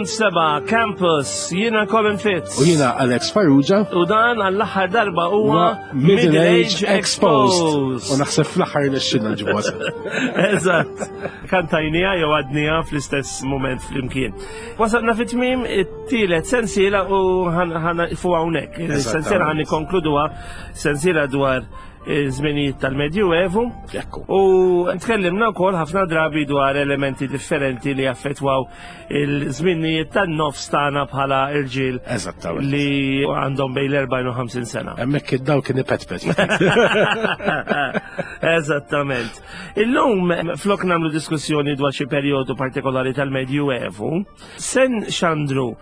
Seba Campus, jiena Colin Fitz. U jiena Alex Farrugia. U dan għall-aħħar darba huwa Middle Age Exposed. U naħseb fl-aħħar nixxinna ġibwa. Eżatt. Kantajnija jew għadnija fl-istess moment flimkien. Wasalna fit tmiem it-tielet sensiela u ħana fu hawnhekk. Sensiela ħan nikkonkluduha sensiela dwar żminijiet tal-Medjuevu. U tkellimna wkoll ħafna drabi dwar elementi differenti li affettwaw il-żminijiet tan-nofs tagħna bħala irġiel li għandhom bejn l-40 u 50 sena. Hemmhekk id-daw kien ipetpet. Eżattament. Illum flok nagħmlu diskussjoni dwar xi perjodu partikolari tal-Medjuevu, sen xandru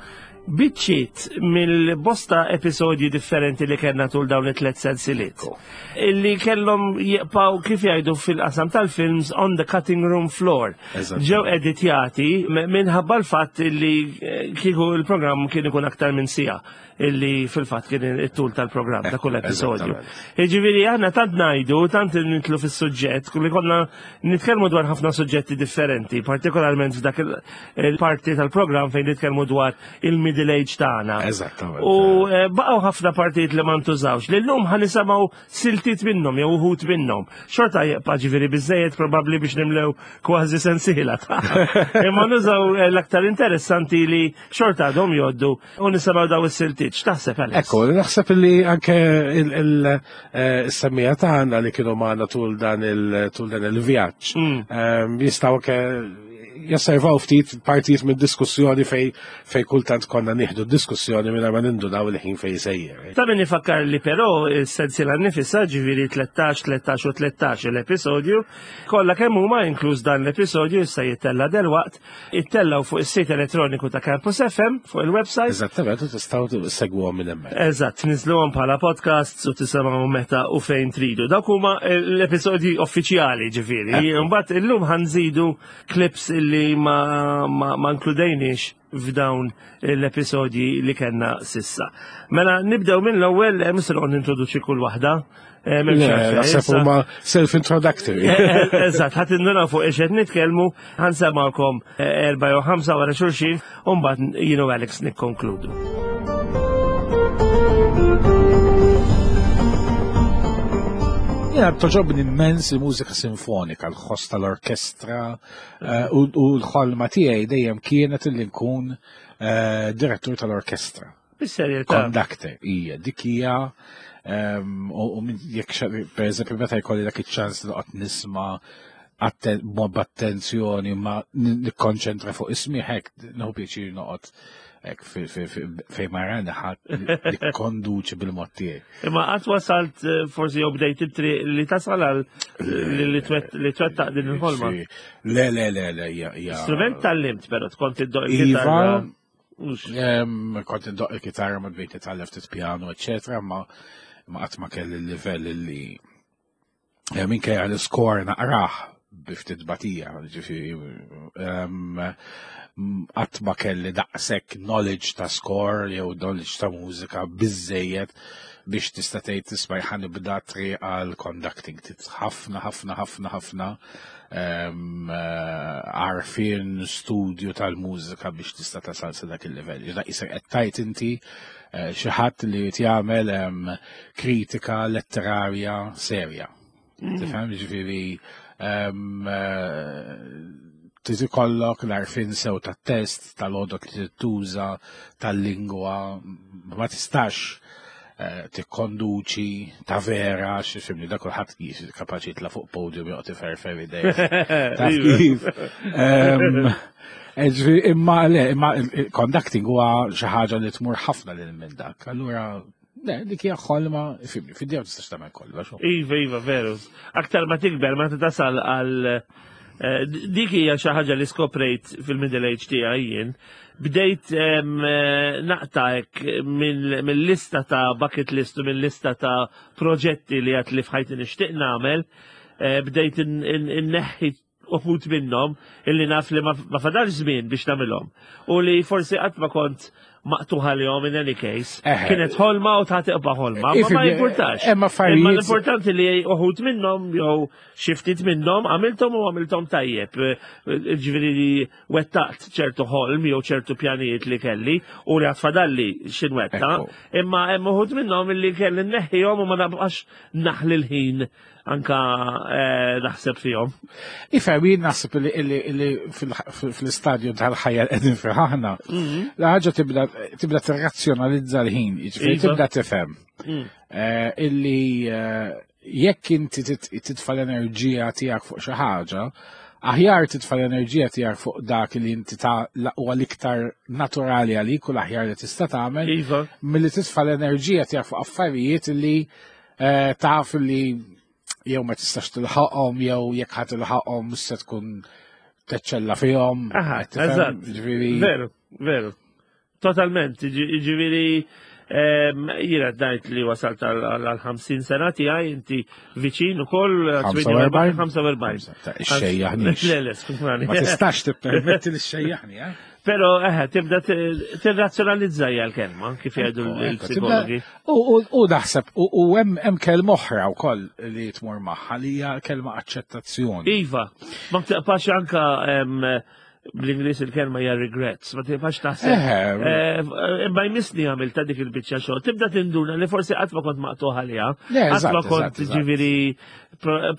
biċċiet mill-bosta episodji differenti li kellna tul dawn it-tlet sensiliet. Illi kellhom jibqgħu kif jgħidu fil-qasam tal-films on the cutting room floor. Ġew editjati minħabba l-fatt li eh, kieku il-programm kien ikun aktar minn sija illi fil-fatt kien it-tul tal-programm ta' kull episodju. Jiġifieri aħna tant ngħidu, tant nitlu fis-suġġett, kulli konna nitkellmu dwar ħafna suġġetti differenti, partikolarment f'dak il-parti tal-programm fejn nitkellmu dwar il-middle age tagħna. Eżattament. U eh, baqgħu ħafna partijiet li ma ntużawx. Li llum ħa nisimgħu siltiet minnhom jew uħud minnhom. Xorta jibqa' ġifieri biżejjed probabbli biex nimlew kważi sensiela ta' Imma nużaw eh, l-aktar interessanti li xorta għadhom jgħoddu U nisimgħu daw is-siltiet, x'taħseb Alex? Ekku, naħseb li anke il-semmija eh, tagħna li kienu magħna tul dan il-vjaġġ mm. ehm, jistgħu anke jasservaw ftit partijiet minn diskussjoni fej fej kultant konna nieħdu diskussjoni minn ma nindunaw il-ħin fej sejjer. Ta' min ifakkar li però s-sensiela nifisha ġifieri 13, 13 u 13 l-episodju, kollha kemm huma inkluż dan l-episodju issa jittella delwaqt Ittellaw fuq is-sit elettroniku ta' Campus FM fuq il-website. Eżattament, u tistgħu segwuhom minn hemmhekk. Eżatt, niżluhom bħala podcasts u tisimgħu meta u fejn tridu. Dawk huma l-episodji uffiċjali ġifieri. Imbagħad illum ħanżidu clips illi ma, ma, ma nkludejniex f'dawn l-episodji li kellna sissa. Mela nibdew minn l-ewwel eh, mhux se noqgħod nintroduċi kull waħda. Eh, naħseb huma self-introductory. Eh, eh, eżatt, ħadd induna fuq ix qed nitkellmu, ħansemgħukom erba' jew ħamsa wara xulxin, u mbagħad jien u Alex nikkonkludu. Jena toġobni immens il-mużika sinfonika, l-ħoss tal-orkestra u l-ħolma tiegħi dejjem kienet li nkun direttur tal-orkestra. Bis-serjetà. Conductor, hija, dik hija ehm, u jekk per eżempju meta jkolli dak iċ-ċans noqgħod nisma' b'attenzjoni ma nikkonċentra fuq ismi hekk nieħu pjaċir noqgħod hekk fejn ma rani ħadd nikkonduċi bil-mod tiegħi. Imma qatt wasalt eh, forsi jew bdejt it-triq li tasal għal li twettaq din il-ħolma. Le, le, le, le, hija. Strument tal-limt però tkont id-doq il-kitarra. Iva, kont indoq il-kitarra ma bdejt nitgħallem ftit piano, eċetera, ma ma qatt ma kelli l-livell li eh, minkejja l-iskor naqrah bi ftit batija, ġifieri qatt ma kelli daqshekk knowledge ta' score jew knowledge ta' mużika biżejjed biex tista' tgħid tisma' ħa nibda triq għal conducting. Ħafna ħafna ħafna ħafna Eh, għarfien studju tal-mużika biex tista' tasal sa dak il-livell. Ġda isek qed tajt inti eh, xi ħadd li jagħmel kritika letterarja serja. Mm. Tifhem ġifieri eh, trid ikollok l-għarfien sew tat-test, tal-għodot li tuża, tal-lingwa, ma tistax Eh, tikkonduċi ta' vera, xifimni, da kulħadd kapaċi jitla' fuq podium joqgħod iferfer idej. Taf kif. Ehm, eh, imma le, imma conducting huwa xi ħaġa li tmur ħafna lil minn dak. Allura Le, dik hija ħolma, fimni, fid-dija tistax tagħmel kollox. Iva, iva, veru. Aktar ma tikber ma tasal għal eh, dik hija xi ħaġa li skoprejt fil-middle age tiegħi jien Bdejt eh, naqta hekk mill-lista ta' bucket list u mill-lista ta' proġetti li għat li fħajti nixtieq nagħmel, eh, bdejt inneħħi uħud minnhom illi naf li ma fadalx żmien biex nagħmilhom. U li forsi qatt ma kont maqtuħ għalihom in any case. Kienet ħolma u ta' tiqba ħolma, ma ma jimpurtax. Imma Imma l-importanti li uħud minnhom jew xi ftit minnhom għamilthom u għamilthom tajjeb. Ġifieri li wettaqt ċertu ħolm jew ċertu pjanijiet li kelli u li għatfadalli x'inwetta, imma hemm uħud minnhom li kelli nneħħihom u ma nabqax naħli l-ħin anka eh, naħseb fihom. Ifhem, jien naħseb li fl-istadju tal-ħajja qegħdin fih aħna, mhm. la ħaġa tibda tirrazzjonalizza l-ħin, jiġifieri iva. tibda tifhem mm. eh, illi eh, jekk inti titfa' l-enerġija tiegħek fuq xi ħaġa, aħjar titfa' l-enerġija tiegħek fuq dak li inti ta' huwa l-iktar naturali għalik u l-aħjar li tista' tagħmel, iva. milli titfa' l-enerġija tiegħek fuq affarijiet li eh, taf li jew ma tistax tilħaqhom jew jekk ħa tilħaqhom mhux se tkun teċċella fihom. Aha, eżatt. Veru, veru. Totalment, ġifieri jiena dajt li wasalt għal 50 sena tiegħi inti viċin ukoll 45. 45. Xejjaħni. Le, le, skużani. Ma tistax tippermetti li xejjaħni, eh? Pero, eħe, tibda tirrazzjonalizza hija l-kelma, kif jgħidu l-psikologi. U naħseb, u hemm kelma oħra wkoll li tmur magħha li hija kelma aċċettazzjoni. Iva, ma tibqax anka bl-Ingliż il-kelma hija regrets, ma tibqax taħseb. Eh, imma jmissni għamil ta' dik il-biċċa xogħol. Tibda tinduna li forsi qatt ma kont maqtuħ għaliha, qatt ma kont ġifieri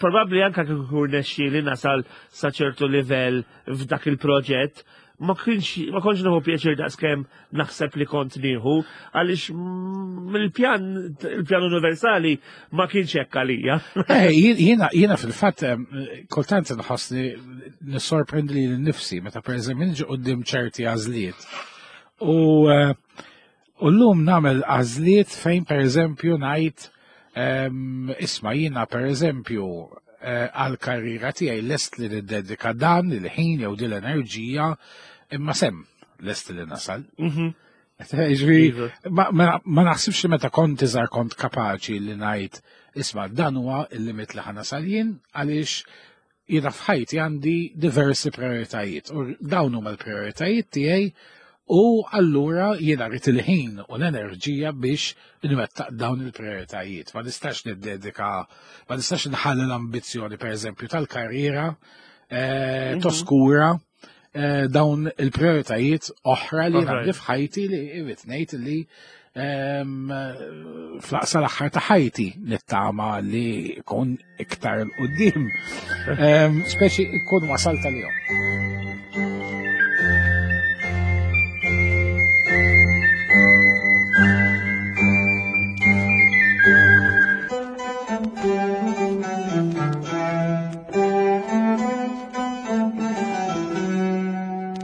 probabbli anka kieku nexxi li nasal sa ċertu livell f'dak il-proġett, ma kienx ma kontx nieħu pjaċir daqskemm naħseb li kont nieħu għaliex il-pjan il-pjan universali ma kienx hekk għalija. Eh, jiena jiena fil-fatt kultant nħossni nissorprendi li nnifsi meta pereżempju niġi quddiem ċerti għażliet. U eh, U llum nagħmel għażliet fejn pereżempju ngħid ehm, isma' jiena pereżempju eh, għal karriera tiegħi lest li niddedika dan il-ħin jew din l-enerġija imma sem lest li nasal. Mhm. Ġifieri, Iva. ma naħsibx li meta kont iżgħar kont kapaċi li ngħid isma' dan huwa il-limit li ħanasal jien għaliex Jiena f'ħajti għandi diversi prioritajiet u dawn huma l-prioritajiet tiegħi u allura jiena rrid il-ħin u l-enerġija biex nwettaq dawn il-prioritajiet. Ma nistax niddedika, ma nistax nħalli l-ambizzjoni pereżempju tal-karriera eh, mhm. toskura eh, dawn il-prioritajiet oħra li għandi f'ħajti li irrid ngħid li ehm, flaqsa l-aħħar ta' ħajti nittama li kun iktar l-qoddim. Ehm, speċi kun wasal tal-jom.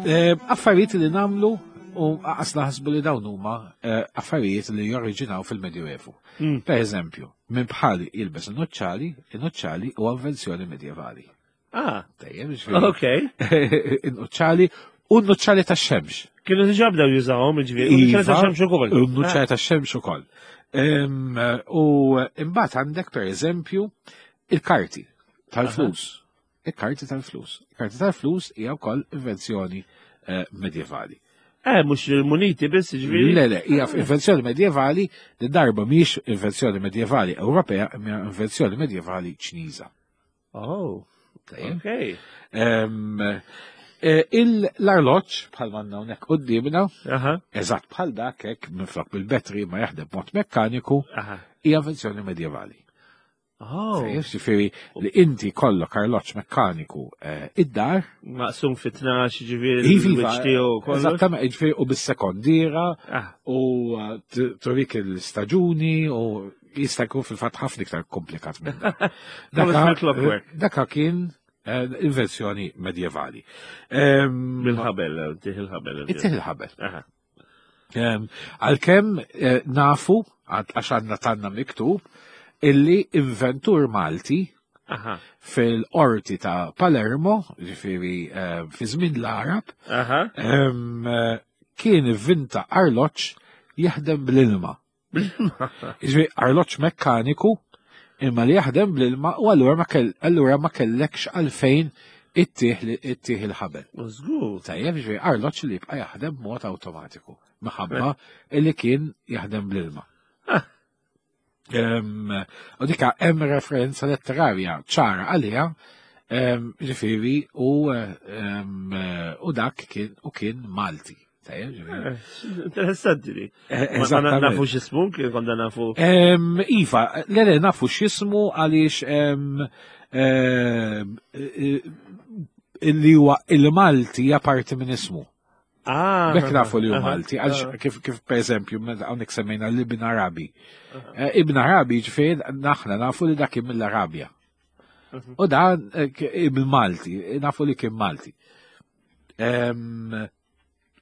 Eh, affarijiet li namlu u għas naħsbu li dawn huma eh, affarijiet li jorriġinaw fil-Medjuevu. Mm. Per eżempju, minn bħali jilbes il-noċċali, il-noċċali u invenzjoni medjevali. Ah, tajjeb, ġifieri. Ok. Il-nuċċali u n-nuċċali tax-xemx. Kienu diġà bdew jużawhom, ġifieri. U n-nuċċali tax-xemx ukoll. U n-nuċċali tax-xemx ukoll. U imbagħad għandek pereżempju il-karti tal-flus. Il-karti tal-flus. Il-karti tal-flus hija wkoll invenzjoni eh, medjevali. Eh, mux il-muniti biss, ġviri. Le, le, hija invenzjoni medjevali li darba mhix invenzjoni medjevali Ewropea, imma invenzjoni medjevali Ċiniża. Oh, ok. Eh, l-arloġġ bħal manna hawnhekk qudiemna, eżatt bħal dak hekk minflok bil-betri ma jaħdem mod mekkaniku, hija invenzjoni medjevali. Oh. Ġifieri li inti kollok arloġġ mekkaniku eh, id-dar. Maqsum fi 12 ġifieri iva, iva, Eżattament, ġifieri u bis-sekondiera ah. u eh, turik il-staġuni u jista' jkun fil-fatt ħafna iktar komplikat minn Daka kien eh, invenzjoni medjevali. Bil-ħabel, tih il-ħabel. Tih il-ħabel. Għalkemm eh, nafu, għax għandna tanna miktub, illi inventur Malti fil-qorti ta' Palermo, ġifiri eh, fi żmien l-Arab, kien ivvinta arloġġ jaħdem bl-ilma. Ġifieri arloġġ mekkaniku imma li jaħdem bl-ilma u allura ma kellekx għalfejn Ittih il-ħabel. Żgur. Tajjeb, ġifieri arloġġ li jibqa' jaħdem b'mod awtomatiku minħabba li kien jaħdem bl-ilma. Ah. U dika hemm referenza letterarja ċara għaliha, ġifieri u u dak kien u kien Malti. Tajjeb, ġifieri. Eh, interessanti li. Eh, Ma nafu x'ismu, kien konna nafu. Iva, le le nafu x'ismu għaliex eh, li huwa il-Malti hija parti minn ismu. Ah, Bek nafu li hu Malti, għax ah. kif kif per eżempju, hawnhekk semmejna l-Ibn Arabi. Eh, Ibn Arabi ġifieri naħna nafu li dak kien mill-Arabja. Mhm. U dan eh, Ibn Malti, nafu li kien Malti.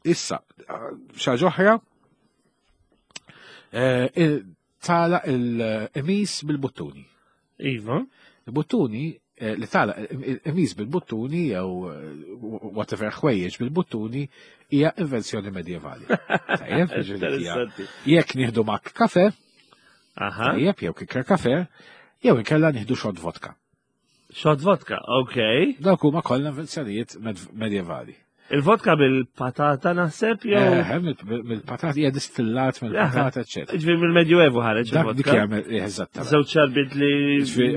Issa, xaġa oħra, eh, tala il-emis bil-buttuni. Iva. Il-buttuni eh, li tala il-emis bil-buttuni jew eh, whatever ħwejjeġ bil-buttuni hija invenzjoni medjevali. Tajjeb, jekk nieħdu mak kafe, tajjeb, jew kikker kafe, jew inkella nieħdu xod vodka. Shot vodka, ok. Dawk huma kollha invenzjonijiet medjevali. Il-vodka bil-patata naħseb jew? Eh, mill-patata hija distillat mill-patata, eċetera. Ġifieri mill-Medjuevu ħareġ il-vodka. Dik hija eh, eżattament. Żewġ xarbit li.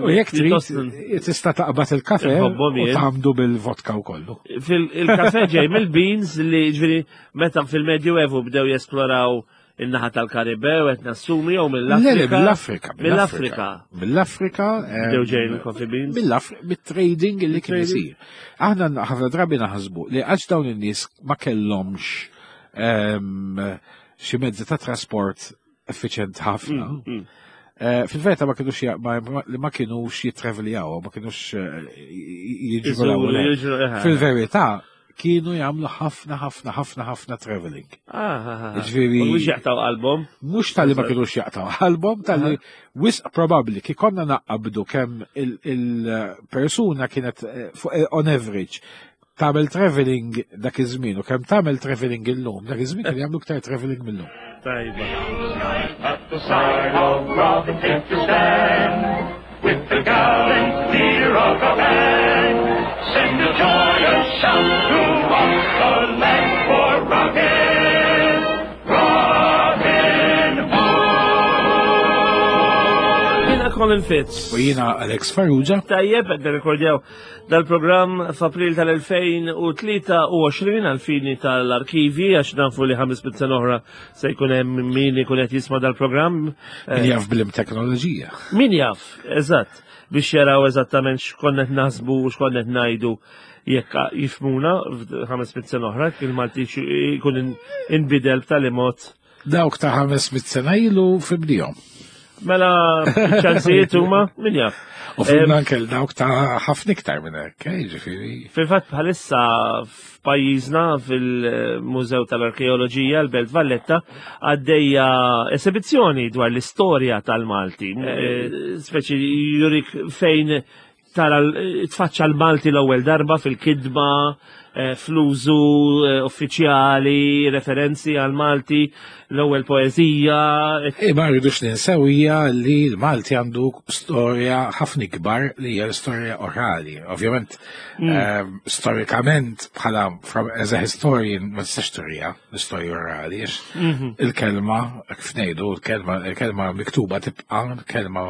U jekk trid tista' taqbad il-kafe u tagħmdu bil-vodka wkollu. Il-kafe ġej mill-beans li ġifieri meta fil-Medjuevu bdew jesploraw in-naħa tal-Karibew qed nassumi jew mill-Afrika. Le, mill-Afrika. Mill-Afrika. Mill-Afrika. Bdew ġejjin il-coffee beans. Mill-Afrika, mit-trading li kien isir. Aħna ħafna drabi naħsbu li għax dawn in-nies ma kellhomx ehm, xi mezzi ta' trasport effiċjent ħafna. Mm, mm. Eh, fil-verità ma kienux ma kienux jittraveljaw, ma kienux eh, jiġru. Eh. Fil-verità kienu jagħmlu ħafna ħafna ħafna ħafna traveling. Ah, ah, ah. Ġifieri. Mhux jaqtaw qalbhom. Mhux tal-li ma kienux jaqtaw qalbhom, tal-li wisq probabbli kif konna naqabdu kemm il-persuna kienet on average tagħmel traveling dak iż-żmien u kemm tagħmel traveling illum, dak iż-żmien kien jagħmlu iktar traveling millum. Tajba. At the side of Robin take your stand with the gallant leader of the band. Send a joyous shout throughout the land for Robin, Robin Hood. Jiena Colin Fitz. U jiena Alex Farrugia. Tajjeb, qed nirrekordjaw Dal-programm f'April tal-2023 għal-fini tal-arkivi għax nafu li 500 sena oħra se jkun hemm min ikun qed jisma' dal-programm. Min jaf blim teknoloġija. Min jaf, eżatt, biex jaraw eżattament x'konna qed naħsbu u x'konna qed ngħidu jekk jifmuna 500 sena oħra, il-Malti jkun inbidel b'tali mod Dawk ta' 500 sena ilu fibdihom. Mela ċansijiet huma min jaf. U fimna anke dawk ta' ħafna iktar minn hekk, eh, ġifieri. Fil-fatt bħalissa f'pajjiżna fil-Mużew tal-Arkeoloġija l-Belt Valletta għaddejja esibizzjoni dwar l-istorja tal-Malti. Eh, speċi jurik fejn tara tfaċċa l-Malti l-ewwel darba fil-kidba, eh, fl-użu eh, uffiċjali, referenzi għal Malti, l-ewwel poeżija. Eh, ma rridux ninsew hija li l-Malti għandu storja ħafna ikbar li hija l-istorja orali. Ovvjament, mm. storikament bħala as a historian ma tistax turija l-istorja orali, mhm. il-kelma, kif ngħidu, il-kelma miktuba tibqa' kelma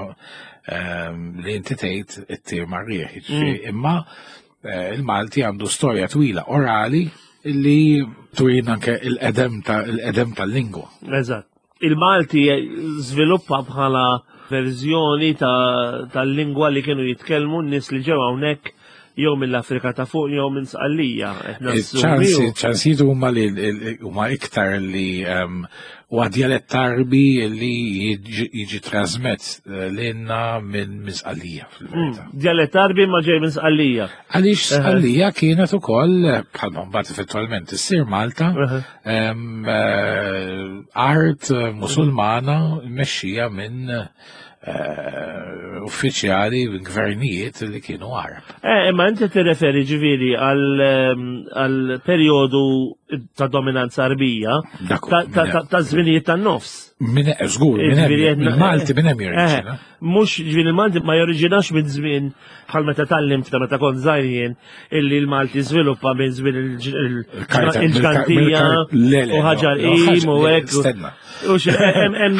Ehm, li inti tgħid it-tir mar-rieħ, jiġifieri, mm. imma eh, il-Malti għandu storja twila orali li turin anke il-qedem il-qedem tal-lingwa. Eżatt. Il-Malti żviluppa bħala verżjoni tal-lingwa li kienu jitkellmu n-nies li ġew hawnhekk jew mill-Afrika ta' fuq jew minn Sqallija. Ċansijiet huma li huma iktar li ehm, huwa djalett Arbi li jiġi trasmett eh, lilna minn Sqallija fil-verità. Hmm, djalett Arbi ma ġej minn Sqallija. Għaliex Sqallija kienet ukoll bħalma mbagħad effettualment issir Malta ehm, eh, art musulmana mexxija minn eh, uffiċjali gvernijiet li kienu Arab. Eh, imma inti tirreferi ġifieri ehm, għal perjodu ta' dominanza Arbija ta' żminijiet tan-nofs. Min żgur, minn Malti minn hemm jorriġina. Eh, mhux ġifieri il-Malti ma jorriġinax minn żmien bħal meta tallimt ta' meta kont żgħir jien illi l-Malti żviluppa minn żmien il-ġgantija u ħaġar qim u hekk. Stenna.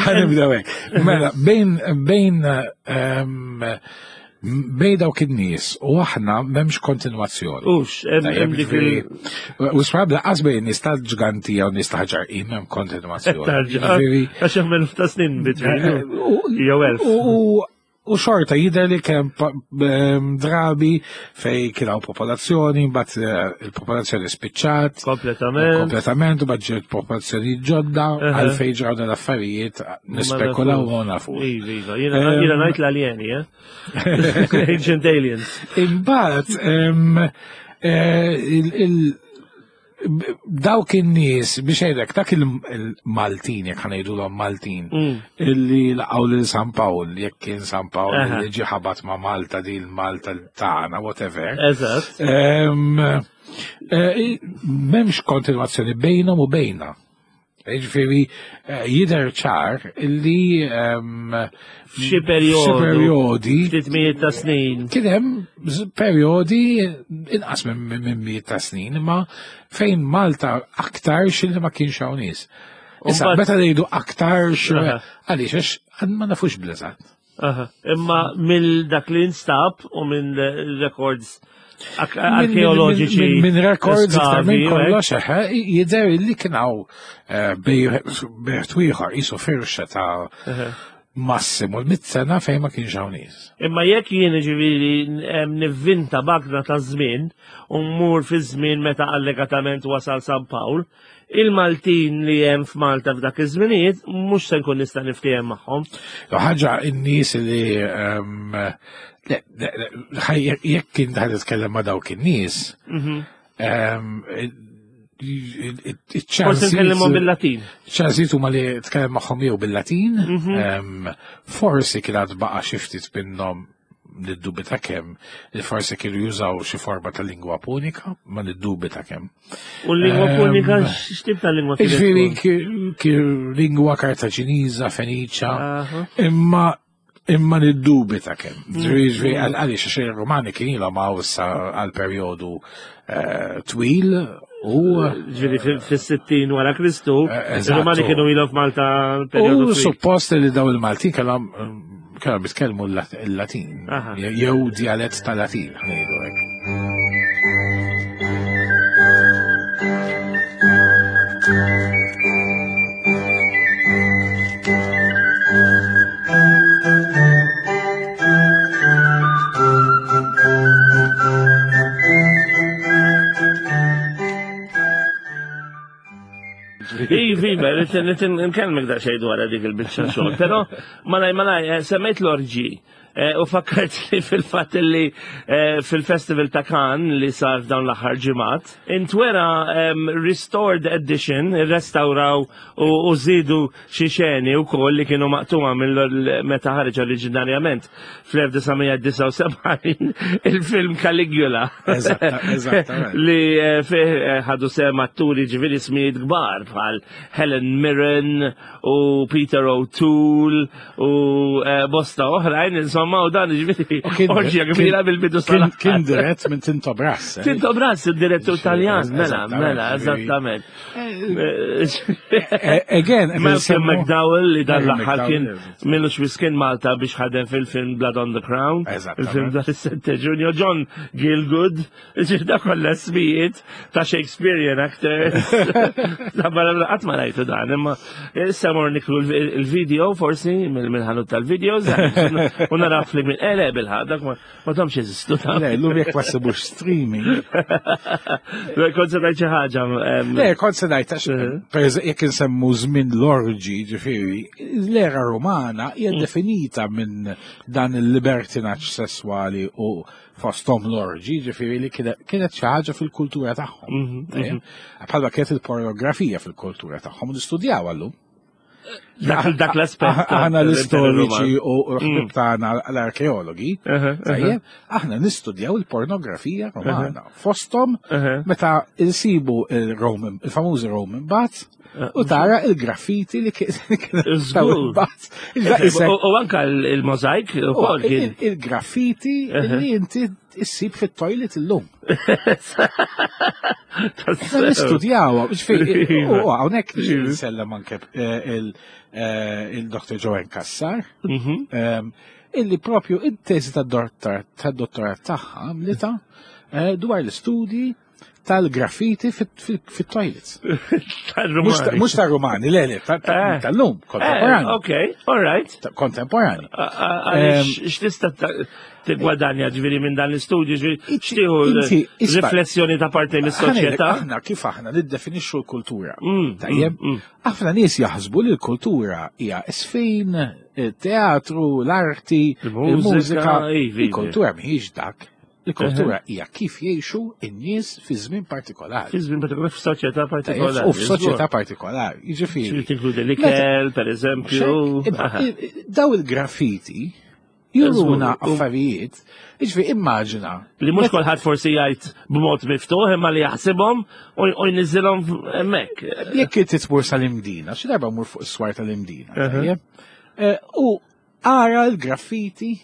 Ħanibdew hekk. Mela, bejn bejn ehm, bejn dawk in-nies u aħna m'hemmx kontinwazzjoni. Ux, hemm dik il. U sħab laqas bejn nies tal-ġgantija u nies ta' ħaġar qim hemm kontinwazzjoni. Għax hemm elf ta' snin bitwin. Eh, jew elf. U xorta jidher li kemm ehm, drabi fej kien hawn popolazzjoni, mbagħad eh, il-popolazzjoni spiċċat. Kompletament. Kompletament, u mbagħad ġiet popolazzjoni ġodda, għalfejn ġraw dan l-affarijiet nispekulaw u nafu. Iva, iva, jiena ehm, ngħid l-aljeni, eh? Ancient aliens. Imbagħad ehm, eh, il dawk in-nies biex ngħidlek dak il-Maltin jekk ħanejdulhom Maltin mm. illi laqgħu lil San Pawl jekk kien San Pawl li ġi ħabat ma' Malta din Malta tagħna whatever. Eżatt. Eh, m'hemmx kontinwazzjoni bejnhom u bejna. Ġifieri eh, jidher ċar li ehm, f'xi perjodi ftit mijiet ta' snin. Kien hemm perjodi inqas minn mijiet ta' snin, imma fejn Malta aktar xilli ma kienx hawn nies. Issa meta ngħidu aktar għaliex għax ma nafux bl-eżatt. Imma mill dak li instab u minn records arkeoloġiċi. Minn records iktar minn kollox, eħe, jidher li kien hawn eh, bejħ ieħor qisu firxa ta' massimu l-mit sena fejn ma kienx hawn nies. Imma jekk jien ġifieri nivvinta bagna ta' żmien u mmur fi żmien meta allegatament wasal San Pawl, Il-Maltin li hemm f'Malta f'dak iż-żminijiet mhux se nkun nista' niftiehem magħhom. Ħaġa in-nies li ehm, jekk kien ħad titkellem ma' dawk in-nies, mhm. ehm, Forsi nkellimhom bil-Latin. ċansijiet huma li tkellem magħhom jew bil-Latin, mhm. ehm, forsi kien għad baqa' xi ftit minnhom niddubita kemm li forsi kienu jużaw xi forma ta' lingwa punika, ma niddubita kemm. U l-lingwa ehm, punika x'tip ta' lingwa kienet? Ġifieri lingwa Kartaġiniża, Feniċa, imma imma niddubita kemm. Mm. Ġifieri għaliex għax ir-Rumani kien ilhom hawn issa għal perjodu eh, twil u ġifieri fis-60 wara Kristu, eh, ir-Rumani kienu ilhom f'Malta perjodu. U suppost li daw il-Maltin kellhom Kellhom jitkellmu l-Latin, jew djalett ta' Latin, ngħidu hekk. Ivi, rrit nkellmek da xejn dwar dik il-biċċa xogħol, però malaj malaj eh, semmejt l-orġi eh, u fakkart li fil-fatt li eh, fil-Festival ta' Cannes li sar f'dawn l-aħħar ġimgħat, intwera ehm, restored edition, restawraw u żidu xi xeni wkoll li kienu maqtuma mill meta ħareġ oriġinarjament fl-1979 il-film Caligula. Li eh, fih eh, ħadu sem atturi ġifieri smijiet kbar bħal Helen Mirren u Peter O'Toole u eh, bosta oħrajn, insomma, u dan ġifieri orġija kbira bil-bidu sal Kien dirett minn Tinto Brass. Tinto Brass, il-direttur Taljan, mela, mela, eżattament. Eh, again, Malcolm McDowell li dan l-aħħar kien millu xwiskin Malta biex ħadem fil-film Blood on the Crown, il-film dan is-Sette Junior, John Gielgud, ġirda kollha smijiet ta' Shakespearean actors. Ta' barra qatt ma rajtu dan, imma issa mor niklu il-video forsi mill-ħanut tal-videos u naraf li minn ele bil-ħaq dak Ma domx jeżistu. Le, l-lum jek ma sibux streaming. Le, kont se ngħid xi ħaġa. Le, kont se ngħid għax eh. jekk insemmu żmien l-orġi, ġifieri, l-era Rumana hija mm. definita minn dan il-libertinaġġ sesswali u fosthom l-orġi, ġifieri li kienet xi ħaġa fil-kultura tagħhom. Mhm, mhm. Bħalma kienet il-pornografija fil-kultura tagħhom, nistudjaw għallum. Dak l-aspett. Aħna l-istoriċi u l-ħbib tagħna l-arkeologi, tajjeb, aħna nistudjaw il-pornografija romana. Fosthom meta insibu il-Roman, il-famużi Roman baths, u tara il-graffiti li kien baths. U anka il-mozaik ukoll kien. Il-graffiti li inti issib fit-toilet illum. Nistudjaw, u hawnhekk nsellem anke eh, eh, il-Dr. Joanne Kassar, mhm. ehm, illi propju id-teżi tad-dottorat tagħha għamlita eh, dwar l-istudji tal-graffiti fit-toilets. Tal-Rumani. Mux tal-Rumani, le, le, tal-lum, kontemporani. Ok, all right. Kontemporani. X'tista' tigwadanja ġifieri minn dan l-istudju, ġifieri x'tieħu riflessjoni ta' parti mis-soċjetà. Aħna kif aħna niddefinixxu l-kultura. Mm, Tajjeb, mm, mm. ħafna nies jaħsbu li l-kultura hija isfin, il-teatru, l-arti, il-mużika. Il-kultura mhijiex dak. Il-kultura hija kif jgħixu n-nies fi żmien partikolari. Fi żmien partikolari f'soċjetà partikolari. U f'soċjetà partikolari. Jiġifieri. Tinkludi l-ikel, per eżempju. Daw il-graffiti juruna affarijiet, jiġifieri immaġina. Li mhux kulħadd forsi jgħid b'mod miftuħ imma li jaħsibhom u jniżilhom hemmhekk. Jekk inti tmur sal-Imdina, xi darba mur fuq is-swar tal-Imdina, eh, u ara l-graffiti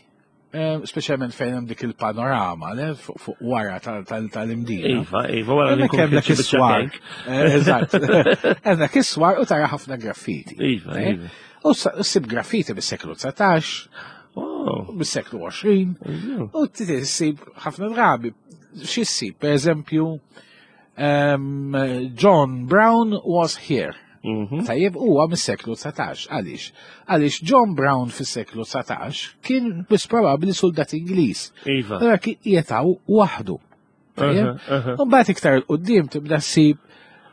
Eh, speċjalment fejn hemm dik il-panorama, le, fuq wara tal-imdina. Iva, iva, wara li hemm dak is-swar. Eh, eżatt. Hemm dak is-swar u tara ħafna graffiti. Iva, eh? iva. U ssib graffiti bis-seklu 19, bis-seklu 20, u ssib ħafna drabi. Xi ssib, per eżempju, ehm, John Brown was here. Mhm. Tajjeb huwa mis-seklu 19. Għaliex? Għaliex John Brown fis-seklu 19 kien biss probabbli soldat Ingliż. Iva. Allora kien jetaw waħdu. Tajjeb? Mbagħad iktar il qudiem tibda ssib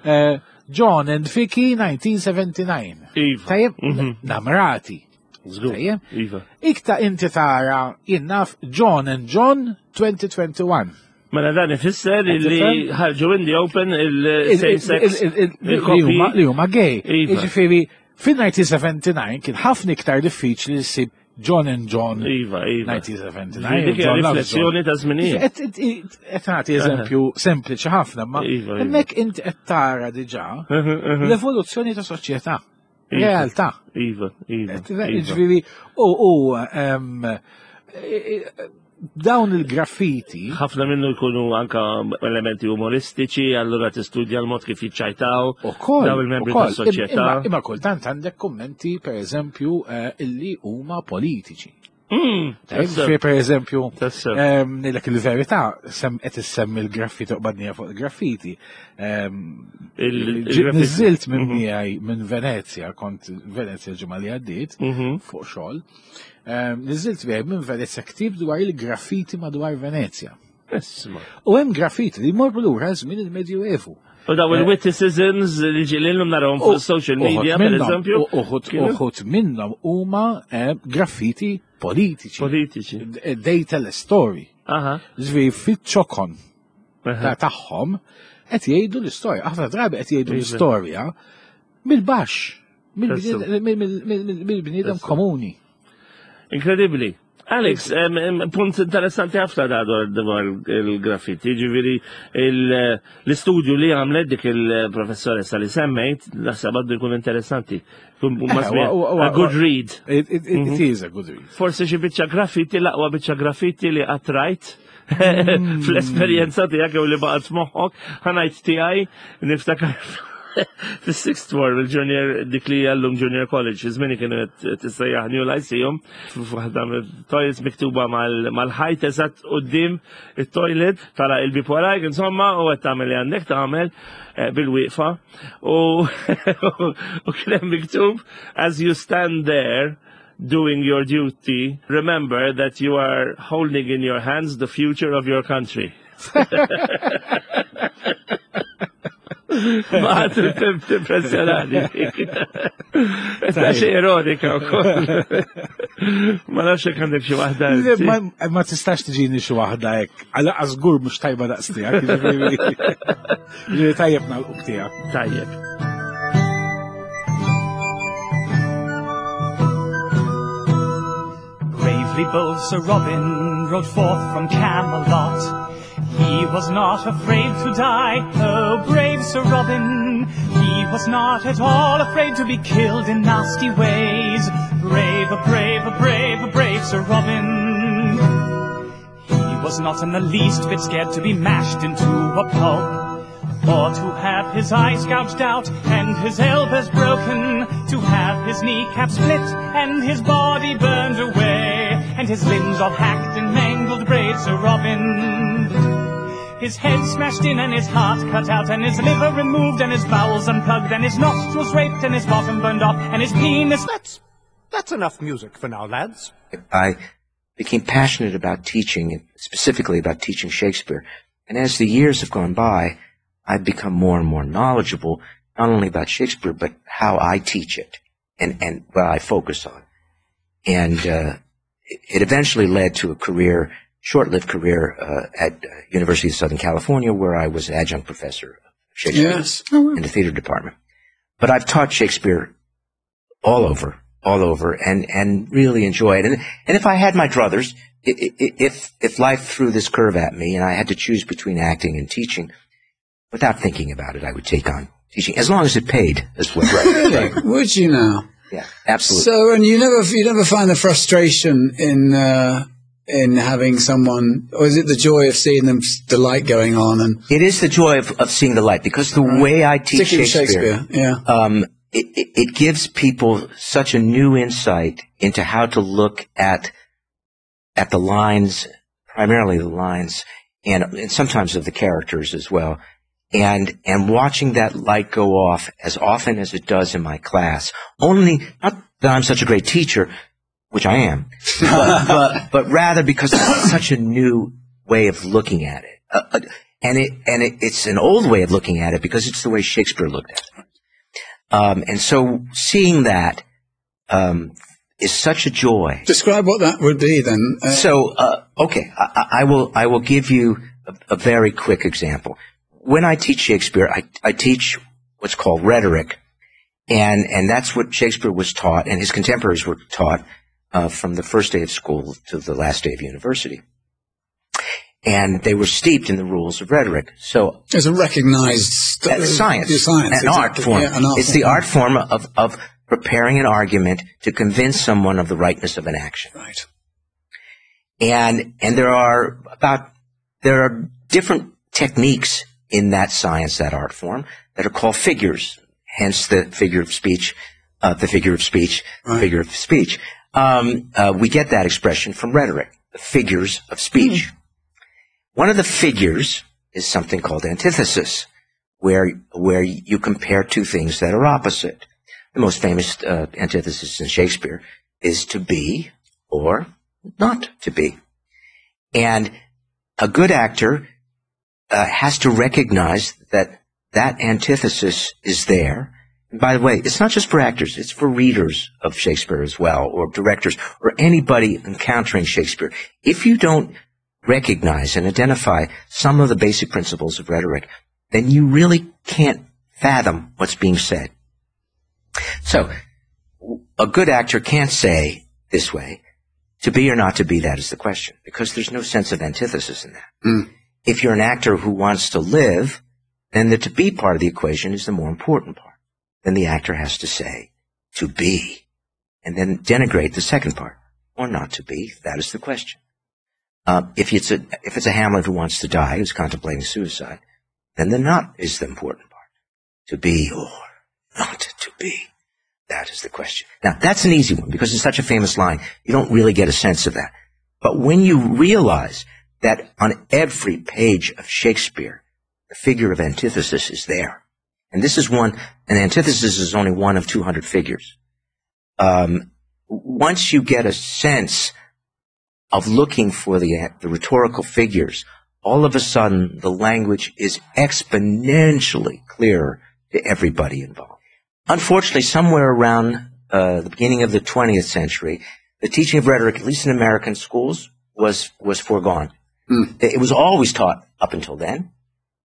eh, John and Vicky 1979. Iva. Tajjeb, mhm. namrati. Tajjeb? Iva. Ikta inti tara jinnaf John and John 2021. Mela dan ifisser li ħarġu in the open il-same sex li huma gay. Iva. Jiġifieri fin-1979 kien ħafna iktar diffiċli li ssib John and John. Iva, iva. 1979. Dik riflessjoni ta' żminijiet. Qed nagħti eżempju sempliċi ħafna, ma iva, iva. hemmhekk inti qed tara diġà l-evoluzzjoni ta' soċjetà. Iva. Realtà. Iva, iva. Ġifieri, u dawn il-graffiti. Ħafna minnu jkunu anka elementi umoristiċi, allura tistudja l-mod kif jiċċajtaw. Ukoll. Dawn il-membri tas-soċjetà. Imma kultant għandek kummenti, per eżempju, eh, illi huma politiċi. Mm, Fi per eżempju, nilek il-verità, sem qed issemmi l-graffiti u qbadnija fuq il-graffiti. Niżilt minn mhm. miegħi minn Venezia, kont Venezia ġimgħa li għaddiet mhm. fuq xogħol. Niżilt miegħi minn Venezia ktib dwar il-graffiti madwar Venezia. U hemm graffiti li jmorru lura żmien il-Medjuevu. U daw il-witticisms li ġililhom narahom fuq social media, per eżempju. Uħut minnhom huma eh, graffiti politiċi. Politiċi. Eh, they tell a story. Ġifieri fiċ-ċokon ta' tagħhom qed jgħidu l-istorja. Ħafna drabi qed jgħidu iva. l-istorja mill-baxx, mill-bniedem komuni. Inkredibbli. Alex, punt interessanti ħafna da dwar il-graffiti, ġiviri l-istudju li għamlet dik il-professoressa li semmejt, naħseb għaddu jkun interessanti. Eh, a good read. It mhm. is a good read. Forse xi biċċa graffiti, l-aqwa biċċa graffiti li għatrajt mm. fl-esperjenza tiegħek jew li baqgħet f'moħħok, ħanajt tiegħi niftakar fis-sixth form il-junior dik li għallum junior college, iż-żmien kienu qed tissejjaħ New Lyceum, f'waħda toilets miktuba mal-ħajt eżatt quddiem it-toilet tara il-bib warajk insomma u qed tagħmel li għandek tagħmel eh, bil-wieqfa u kien hemm miktub as you stand there doing your duty, remember that you are holding in your hands the future of your country. Ma t-impressjonani. Ta' xie ironika u koll. Ma nafx jekk għandek xi waħda. Ma tistax tiġini xi waħda hekk. Għala żgur mhux tajba daqs tiegħek. Tajjeb nagħlqu tiegħek. Tajjeb. Bravely bold Sir Robin rode forth from Camelot. He was not afraid to die, oh brave Sir Robin. He was not at all afraid to be killed in nasty ways. Brave, brave, brave, brave Sir Robin. He was not in the least bit scared to be mashed into a pulp, or to have his eyes gouged out and his elbows broken, to have his kneecap split and his body burned away, and his limbs all hacked and mangled, brave Sir Robin. His head smashed in and his heart cut out and his liver removed and his bowels unplugged and his nostrils raped and his bottom burned off and his penis... That's, that's enough music for now, lads. I became passionate about teaching, specifically about teaching Shakespeare. And as the years have gone by, I've become more and more knowledgeable, not only about Shakespeare, but how I teach it and, and what I focus on. And uh, it eventually led to a career, short-lived career uh, at uh, University of Southern California, where I was adjunct professor of Shakespeare yes. oh, wow. in the theater department. But I've taught Shakespeare all over, all over, and, and really enjoy it. And, and if I had my druthers, if, if life threw this curve at me and I had to choose between acting and teaching, without thinking about it, I would take on teaching, as long as it paid as well. Really? Would you now? Yeah, absolutely. So, and you never, you never find the frustration in, uh, in having someone, or is it the joy of seeing them, the light going on? And it is the joy of, of seeing the light because the right. way I teach Shakespeare, Shakespeare, yeah, um, it, it, it gives people such a new insight into how to look at at the lines, primarily the lines, and, and sometimes of the characters as well. And, and watching that light go off as often as it does in my class, only, not that I'm such a great teacher, which I am, but, but, but rather because it's such a new way of looking at it. Uh, uh, and it, and it, it's an old way of looking at it because it's the way Shakespeare looked at it. Um, and so seeing that, um, is such a joy. Describe what that would be then. Uh, so, uh, okay, I, I, will, I will give you a, a very quick example. When I teach Shakespeare, I, I teach what's called rhetoric. And, and that's what Shakespeare was taught and his contemporaries were taught uh, from the first day of school to the last day of university. And they were steeped in the rules of rhetoric. So it's a recognized st- science, science, an exactly. art form. Yeah, an art it's form. the art form of, of preparing an argument to convince someone of the rightness of an action. Right. And, and there are about, there are different techniques in that science, that art form, that are called figures. Hence the figure of speech, uh, the figure of speech, right. figure of speech. Um, uh, we get that expression from rhetoric, the figures of speech. Mm. One of the figures is something called antithesis, where, where you compare two things that are opposite. The most famous uh, antithesis in Shakespeare is to be or not to be. And a good actor uh, has to recognize that that antithesis is there. And by the way, it's not just for actors, it's for readers of Shakespeare as well, or directors, or anybody encountering Shakespeare. If you don't recognize and identify some of the basic principles of rhetoric, then you really can't fathom what's being said. So, a good actor can't say this way, to be or not to be, that is the question, because there's no sense of antithesis in that. Mm. If you're an actor who wants to live, then the to be part of the equation is the more important part. Then the actor has to say, to be, and then denigrate the second part, or not to be, that is the question. Uh, if it's a, if it's a Hamlet who wants to die, who's contemplating suicide, then the not is the important part. To be or not to be. That is the question. Now, that's an easy one because it's such a famous line. You don't really get a sense of that. But when you realize that on every page of Shakespeare, the figure of antithesis is there. And this is one, an antithesis is only one of 200 figures. Um, once you get a sense of looking for the, the rhetorical figures, all of a sudden the language is exponentially clearer to everybody involved. Unfortunately, somewhere around uh, the beginning of the 20th century, the teaching of rhetoric, at least in American schools, was, was foregone. Mm. It was always taught up until then.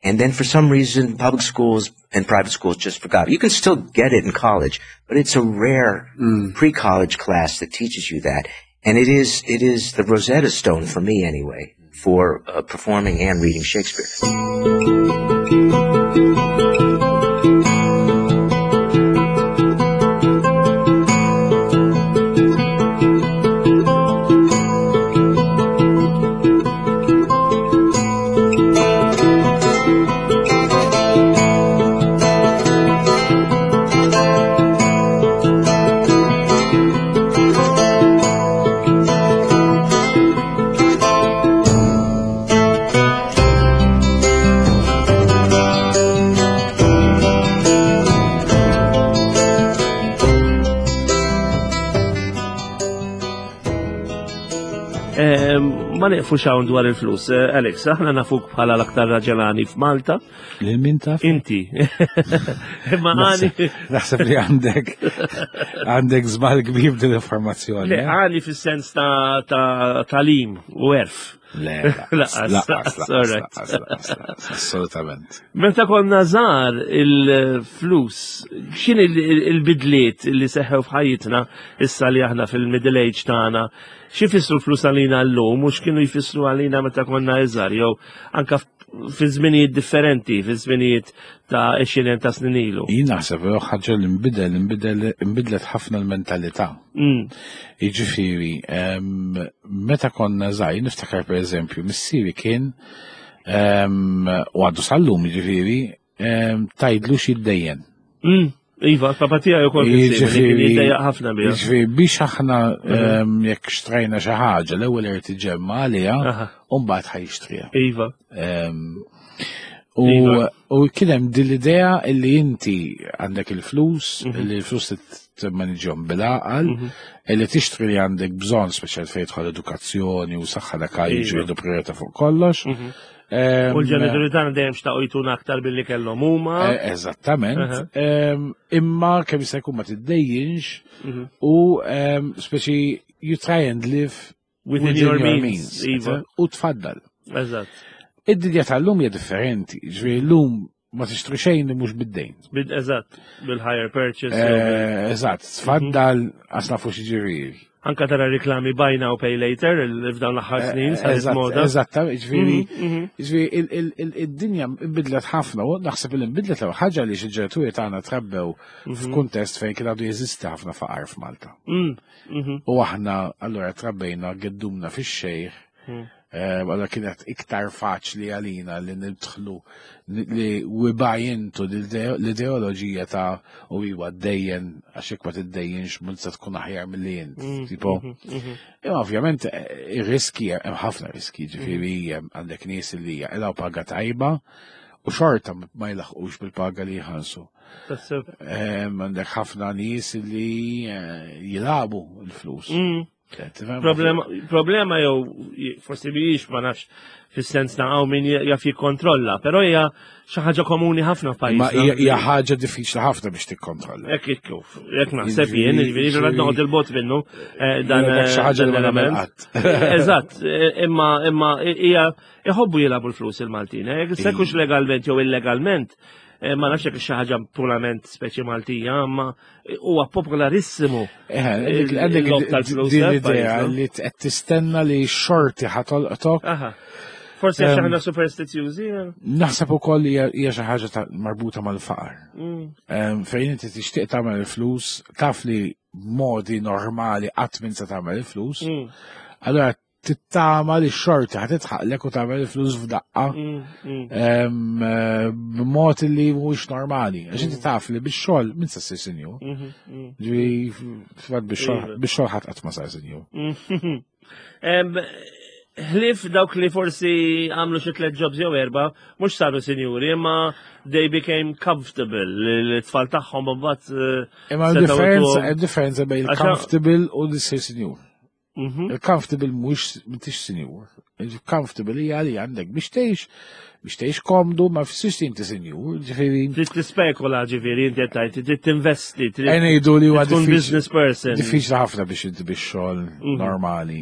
And then for some reason, public schools and private schools just forgot. You can still get it in college, but it's a rare Mm. pre-college class that teaches you that. And it is, it is the Rosetta Stone for me anyway, for uh, performing and reading Shakespeare. Ma nieqfux hawn dwar il-flus. Eh, Alex, aħna nafuk bħala l-aktar raġelani f'Malta. Lil min taf? Inti. Imma għani. Naħseb li għandek għandek żball kbir din l-informazzjoni. Le, eh? għani fis-sens ta' talim u erf. Le, laqas, laqas, assolutament. Meta konna żgħar il-flus, x'in il-bidliet li seħħew f'ħajjitna issa li aħna fil-middle age tagħna, xi jfissru l-flus għalina llum u x'kienu jfissru għalina meta konna iżgħar jew anka fi żminijiet differenti, fi żminijiet ta' 20 ta' snin ilu. Jien naħseb li ħaġa li nbidel, nbidel, nbidlet ħafna l-mentalità. Mm. Jiġifieri, meta konna żgħir, niftakar pereżempju, missieri kien u għadu sal-lum jiġifieri, tajdlu xi Mm. Iva, papa tiegħi wkoll jiġifieri jiddejjaq ħafna biha. Jiġifieri biex aħna mhm. jekk xtrajna xi ħaġa l-ewwel irid iġemma għaliha u mbagħad ħajxtriha. Iva. U iva. kien hemm din l-idea li inti għandek il-flus, mhm. li l-flus timmaniġhom bil-għaqal, mhm. li tixtri li għandek bżonn speċjal fejn tidħol edukazzjoni u saħħa dak jiġu iva. priorità fuq kollox. U l-ġenituri tagħna dejjem xtaqu jtuna aktar billi kellhom huma. Eh, eżattament. Imma kemm jista' jkun ma tiddejjinx mhm. u speċi you try and live within your means. Iva. U tfaddal. Eżatt. Id-dinja tal-lum hija differenti, ġifieri llum ma tixtri xejn li mhux bid-dejn. Eżatt, bil-higher purchase. Eh, eżatt, tfaddal għax nafu xi ġifieri. Anka tara riklami buy now pay later f'dawn l-aħħar eh, snin saret moda. Eżatt, ġifieri mhm, mhm. ġifieri id-dinja nbidlet ħafna u naħseb li nbidlet l ħaġa li xi ġenituri tagħna trabbew mhm. f'kuntest fejn kien għadu jeżisti ħafna faqar f'Malta. Mm, u aħna allura trabbejna geddumna fix-xejh mm. Eh, allora kienet iktar faċli għalina li nidħlu li we buy into l-ideoloġija ta' u iwa dejjen għax jekk ma tiddejjenx minn se tkun aħjar milli int. Mm, tipo, mm-hmm, mm-hmm. imma ovvjament eh, ir-riski hemm ħafna riski, ġifieri mm. għandek nies li jaqilgħu paga tajba u xorta ma jlaħqux bil-paga li jħallsu. Għandek ħafna nies li eh, jilabu l-flus. Mm. Problema, problema jew forsi biex ma nafx fis-sens ta' hawn min jaf jikkontrolla, però hija xi ħaġa komuni ħafna f'pajjiż. Ma hija ħaġa diffiċli ħafna biex tikkontrolla. Hekk kif, hekk naħseb jien, jiġifieri qed noqgħod il-bot minnu eh, dan xi eh, ħaġa li ma nagħmel qatt. Eżatt, eh, imma imma hija iħobbu jilagħbu l-flus il-Maltin, jekk sekux legalment jew illegalment, ma nafx jekk xi ħaġa purament speċi Maltija, imma huwa popolarissimu. Eh, għandek din l-idea li qed tistenna li xorti ħatolqtok. Forsi għax aħna superstizjużi. Eh? Naħseb ukoll hija xi ħaġa marbuta mal-faqar. Mm. Fejn inti tixtieq tagħmel il-flus, taf li modi normali qatt minn se tagħmel il-flus. Mm. Allora tittama li x-xorti ħa titħaqlek u tagħmel il-flus f'daqqa mm, mm. Eh, b'mod li mhuwiex normali. Għax inti mm. taf li bix-xogħol min se ssir sinjur. Mm-hmm, Ġifieri fatt bix-xogħol ħadd qatt ma sar sinjur. Ħlif dawk li forsi għamlu xi tliet jobs jew erba, mhux saru sinjuri, imma they became comfortable, l-tfal tagħhom imbagħad. Eh, imma differenza, differenza bejn comfortable u li ssir sinjur. Mhm. Il-comfortable mhux m'intix sinjur. Il-comfortable hija li għandek biex tgħix, biex tgħix komdu, ma fissirx li inti sinjur, ġifieri. Trid tispekula ġifieri inti qed tgħid, trid tinvesti, trid ngħidu li huwa tkun business person. Diffiċli ħafna biex inti biex xogħol mhm. normali.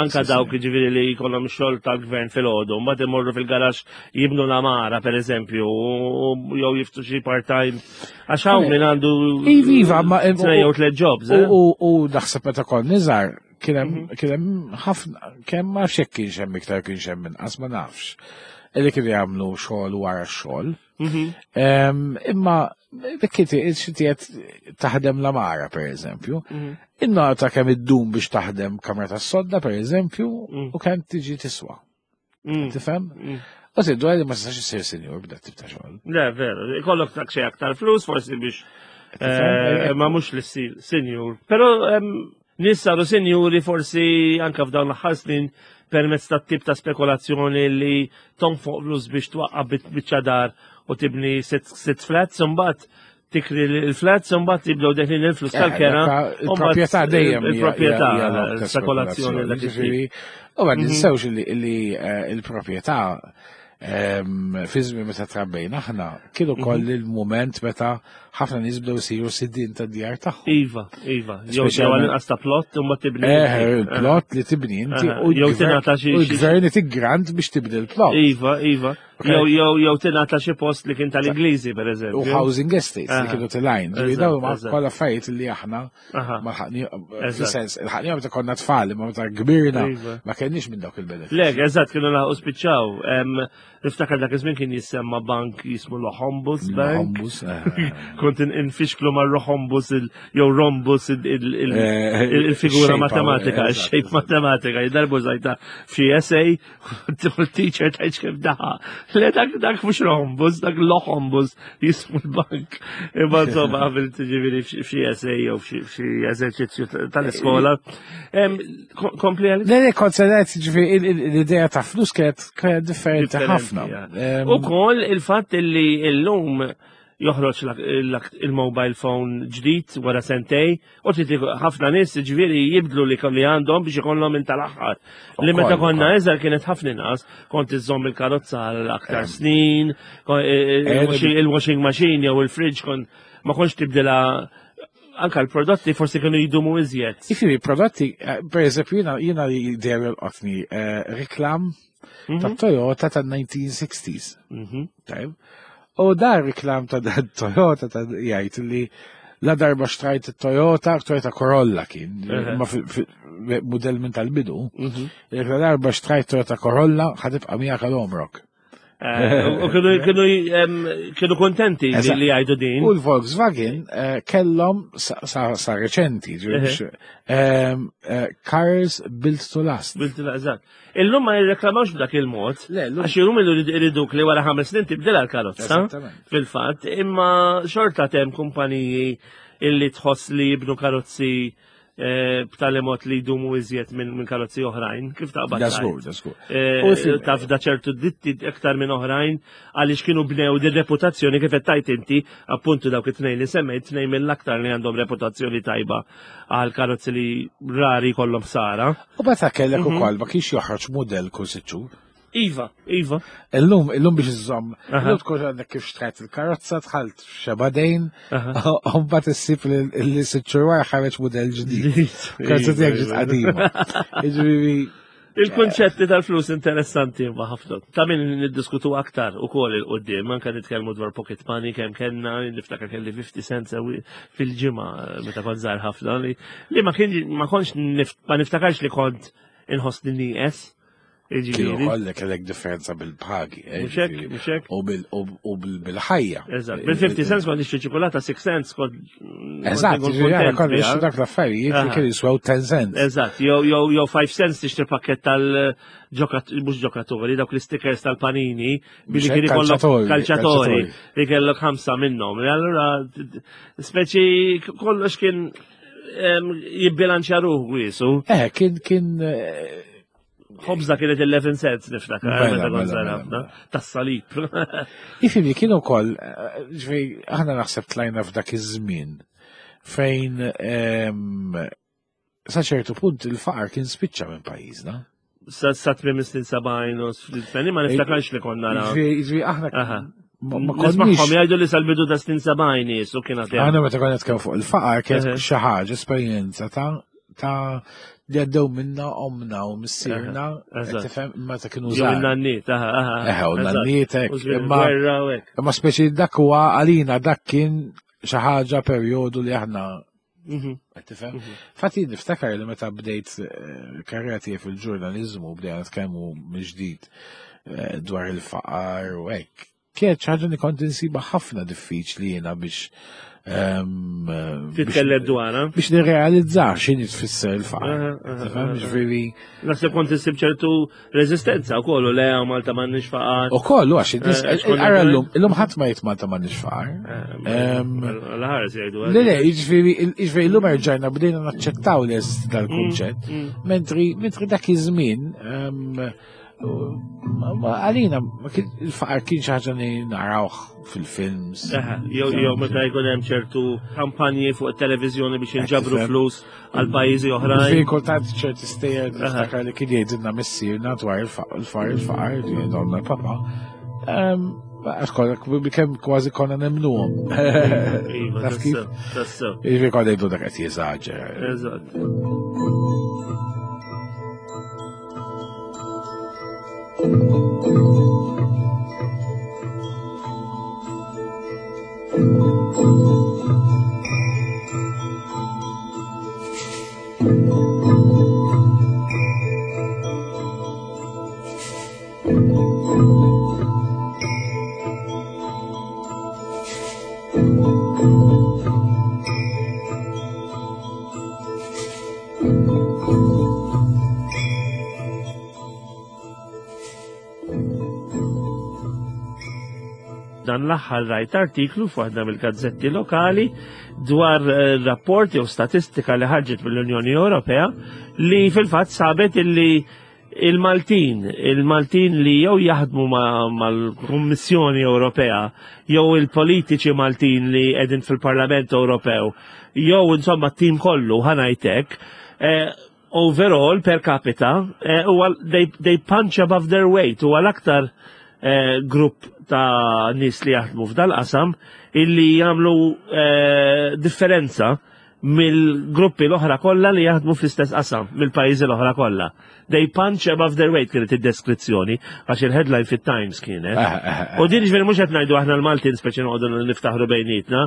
Anka dawk ġifieri li jkollhom xogħol tal-gvern fil-għodu, mbagħad imorru fil-garax jibnu l-amara pereżempju, jew jiftu xi part-time. Għax hawn min għandu Iva, iva, ma jew tliet jobs. Eh? U naħseb meta kont niżar. Kien hemm kien hemm ħafna kemm ma nafx jekk kienx hemm iktar kienx hemm inqas ma nafx. Illi kienu jagħmlu xogħol wara x-xogħol. Imma dik inti inti qed taħdem l-amara pereżempju. Innota kemm iddum biex taħdem kamra tas-sodda pereżempju u kemm tiġi tiswa. Tifhem? U tiddu li ma tistax issir sinjur b'dak tip ta' xogħol. Le, veru, ikollok tak xi aktar flus forsi biex eh, ma mhux li ssir sinjur. Però nies saru sinjuri forsi anka f'dawn l-aħħar snin permezz ta' tip ta' spekulazzjoni li tonfoq flus biex twaqqa' biċċa dar u tibni sitt flats, imbagħad tikri l-flats, imbagħad jibdew deħlin il-flus Eh, tal-kera. Il-proprjetà dejjem hija- Il-proprjetà, hija lok ta' spekulazzjoni dak it-tip. Ġifieri, U ma ninsewx li eh, il-proprjetà fi żmien meta trabbejna aħna kien ukoll il-mument meta ħafna nies bdew isiru sidien tad-djar tagħhom. Iva, iva. Jew jew għal-inqas ta' plot u ma tibni. Eh, il-plot li tibni inti u Jew tingħata xi- u l-gvern itik grant biex tibni l-plot. Iva, iva. Jew jew jew tingħata xi post li kien tal-Ingliżi pereżempju. U housing estates li kienu tilajn. Ġifieri dawn huma kollha affarijiet li aħna ma lħaqni fis-sens, lħaqni meta konna tfal, imma meta kbirna Iva. ma kenniex minn dawk il-benefiċċji. Le, eżatt kienu laħqu spiċċaw. Niftakar dak iż-żmien kien jissemma bank jismu l-Hombus Bank. Hombus, eh. Kont infixklu ma' Rohombus jew Rombus Eh, il-figura shape, matematika, eh, il-shape matematika, jidarbu zajta f'xi essay, u l-teacher tajt kif daħa. Le dak dak mhux Rombus, dak l-Hombus jismu l-bank. Imma insomma għamilt ġifieri f'xi essay jew f'xi eżerċizzju tal-iskola. Kompli għal? Le, le, kont se ngħid, ġifieri l-idea ta' flus kienet kienet differenti ħafna. U kol il-fatt li l-lum joħroġ il-mobile phone ġdid wara sentej u trid ħafna nies ġifieri jibdlu li li għandhom biex ikollhom minn tal-aħħar. Li meta konna iżgħar kienet ħafna inqas, kont iżżomm il-karozza għal aktar snin, il-washing machine jew il-fridge kont ma kontx tibdilha anka l-prodotti forsi kienu jdumu iżjed. Jiġifieri prodotti, eh, per eżempju, jiena jiena li dejjem jolqotni eh, reklam ta' Toyota ta' 1960s. Tajb. U dar reklam ta' dan Toyota ta' jgħid li la darba xtrajt Toyota, Toyota Corolla kien, ma model minn tal-bidu, jekk la darba xtrajt Toyota Corolla ħatibqa' miegħek għal omrok. Eh, u kienu kontenti li jgħidu din. U l-Volkswagen eh, kellhom sa reċenti, eh, cars built to last. Built to last, eżatt. Illum ma jirreklamawx b'dak il-mod. Għax illum iriduk li wara ħames snin tibdilha l-karozza. Fil-fatt, imma xorta tem kumpaniji illi tħoss li jibnu karozzi Eh, b'tali mod li jdumu iżjed minn karozzi oħrajn, kif taqbad? Da żgur, da żgur. Eh, taf da ċertu ditti iktar minn oħrajn għaliex kienu bnew di reputazzjoni kif qed tajt inti, appuntu dawk it-tnejn li semmejt tnejn mill-aktar li għandhom reputazzjoni tajba għal karozzi li rari kollhom sara. U meta kellek mhm. ukoll ma kienx joħroġ mudell kull sitt xhur. Iva, iva. Illum, illum biex iżżomm, illum tkun għandek kif xtrajt il-karozza, tħalt xeba dejn, u mbagħad issib li sitt xhur wara ħareġ mudell ġdid. Karozza tiegħek ġiet qadima. Jiġifieri Il-konċetti tal-flus interessanti ma ħafna. Ta' min niddiskutu aktar u kol il-qoddim, anka nitkellmu dwar pocket money kemm kellna, niftakar kelli 50 cents fil-ġimgħa meta kont żgħar ħafna li ma kien ma kontx ma niftakarx li kont inħossni nieqes. Kienu kollek kellek differenza bil-pagi. Eh, Muxek, U bil-ħajja. Eżatt, bil-50 cents kont nixtri ċikolata, 6 cents kont. Eżatt, ġifieri kont nixtri dak l-affarijiet li kienu jiswew 10 cents. Eżatt, jew 5 cents tixtri pakket tal-ġokat, mhux ġokaturi, dawk l-stickers tal-panini, billi kien ikollok kalċatori, li kellok ħamsa minnhom. Allura, speċi kollox kien jibbilanċja ruħu wiesu. Eh, kien kien eh, Ħobża kienet 11 cents niftakar, Mela, meta kont mela, żgħar mela, ħafna, tas-salib. Ifimni, kienu kol, eh, ġvej, aħna naħseb tlajna f'dak iż-żmien fejn ehm, sa ċertu punt il-faqar kien spiċċa minn pajjiżna. Sa sa tmiem is-snin 70 u s-snin, ma niftakarx li konna nara. Ġvej, ġvej, aħna Aha. ma ma konniex. Nismagħhom jgħidu li sal-bidu ta' snin 70 nies u kien għad hemm. Aħna meta konna nitkellmu fuq il-faqar kienet Eħe. xi ħaġa esperjenza ta' ta' li għaddew minna omna u missierna, Eżatt. tifhem meta kienu Jew żgħar. in-nanniet, aha, aha. Eħe, u eżatt. n-nanniet hekk, U żmien imma- il-gwerra u hekk. Imma speċi dak huwa għalina dak kien xi ħaġa perjodu li aħna Qed tifhem? Fatti niftakar li meta bdejt eh, karriera tiegħi fil-ġurnaliżmu bdejna nitkellmu mill-ġdid eh, dwar il-faqar u hekk. Kienet xi ħaġa li kont insiba ħafna diffiċli jiena biex ehm, Titkellem dwarha. Biex nirrealizza x'inhi tfisser il-faqar. Ġifieri. Naħseb kont issib ċertu reżistenza wkoll u le Malta m'għandniex faqar. Ukoll għax eh, ara llum, illum ħadd ma jgħid Malta m'għandniex faqar. Eh, ehm, l-ħares jgħidu. Le le, jiġifieri jiġifieri llum erġajna bdejna naċċettaw li jeżisti dal-kunċett, mm, mm. mentri mentri dak iż-żmien ehm, Għalina, il-faqar kien xi ħaġa li narawh fil-films. Jew jew meta jkun hemm ċertu kampanji fuq it-televiżjoni biex inġabru flus għal pajjiżi oħrajn. Fi kultant ċerti stejjer niftakar li kien jgħidilna missierna dwar il-faqar il-faqar, jgħidilna l-papa. Ehm, għax kemm kważi konna nemnuhom. Iva, Taf kif? tassew. Jiġifieri konna jgħidu dak qed jeżaġera. Eżatt. Dan l-aħħar rajt artiklu f'waħda mill-gazzetti lokali dwar eh, rapport jew statistika li ħarġet mill-Unjoni Ewropea li fil-fatt sabet illi il-Maltin, il-Maltin li jew jaħdmu mal-Kummissjoni Ewropea, jew il-politiċi Maltin li qegħdin fil-Parlament Ewropew, jew insomma t-tim kollu ħanajtek, eh, overall per capita, eh, huwa they, they punch above their weight, huwa l-aktar eh, grupp ta' nies li jaħdmu f'dal-qasam illi jagħmlu eh, differenza mill-gruppi l-oħra kollha li jaħdmu fl-istess qasam, mill-pajjiżi l-oħra kollha. They punch above their weight kienet id-deskrizzjoni, għax il-headline fit-Times kienet. Eh, eh, eh. U din ġifieri mhux qed ngħidu aħna l-Maltin speċi noqogħdu niftaħru bejnietna,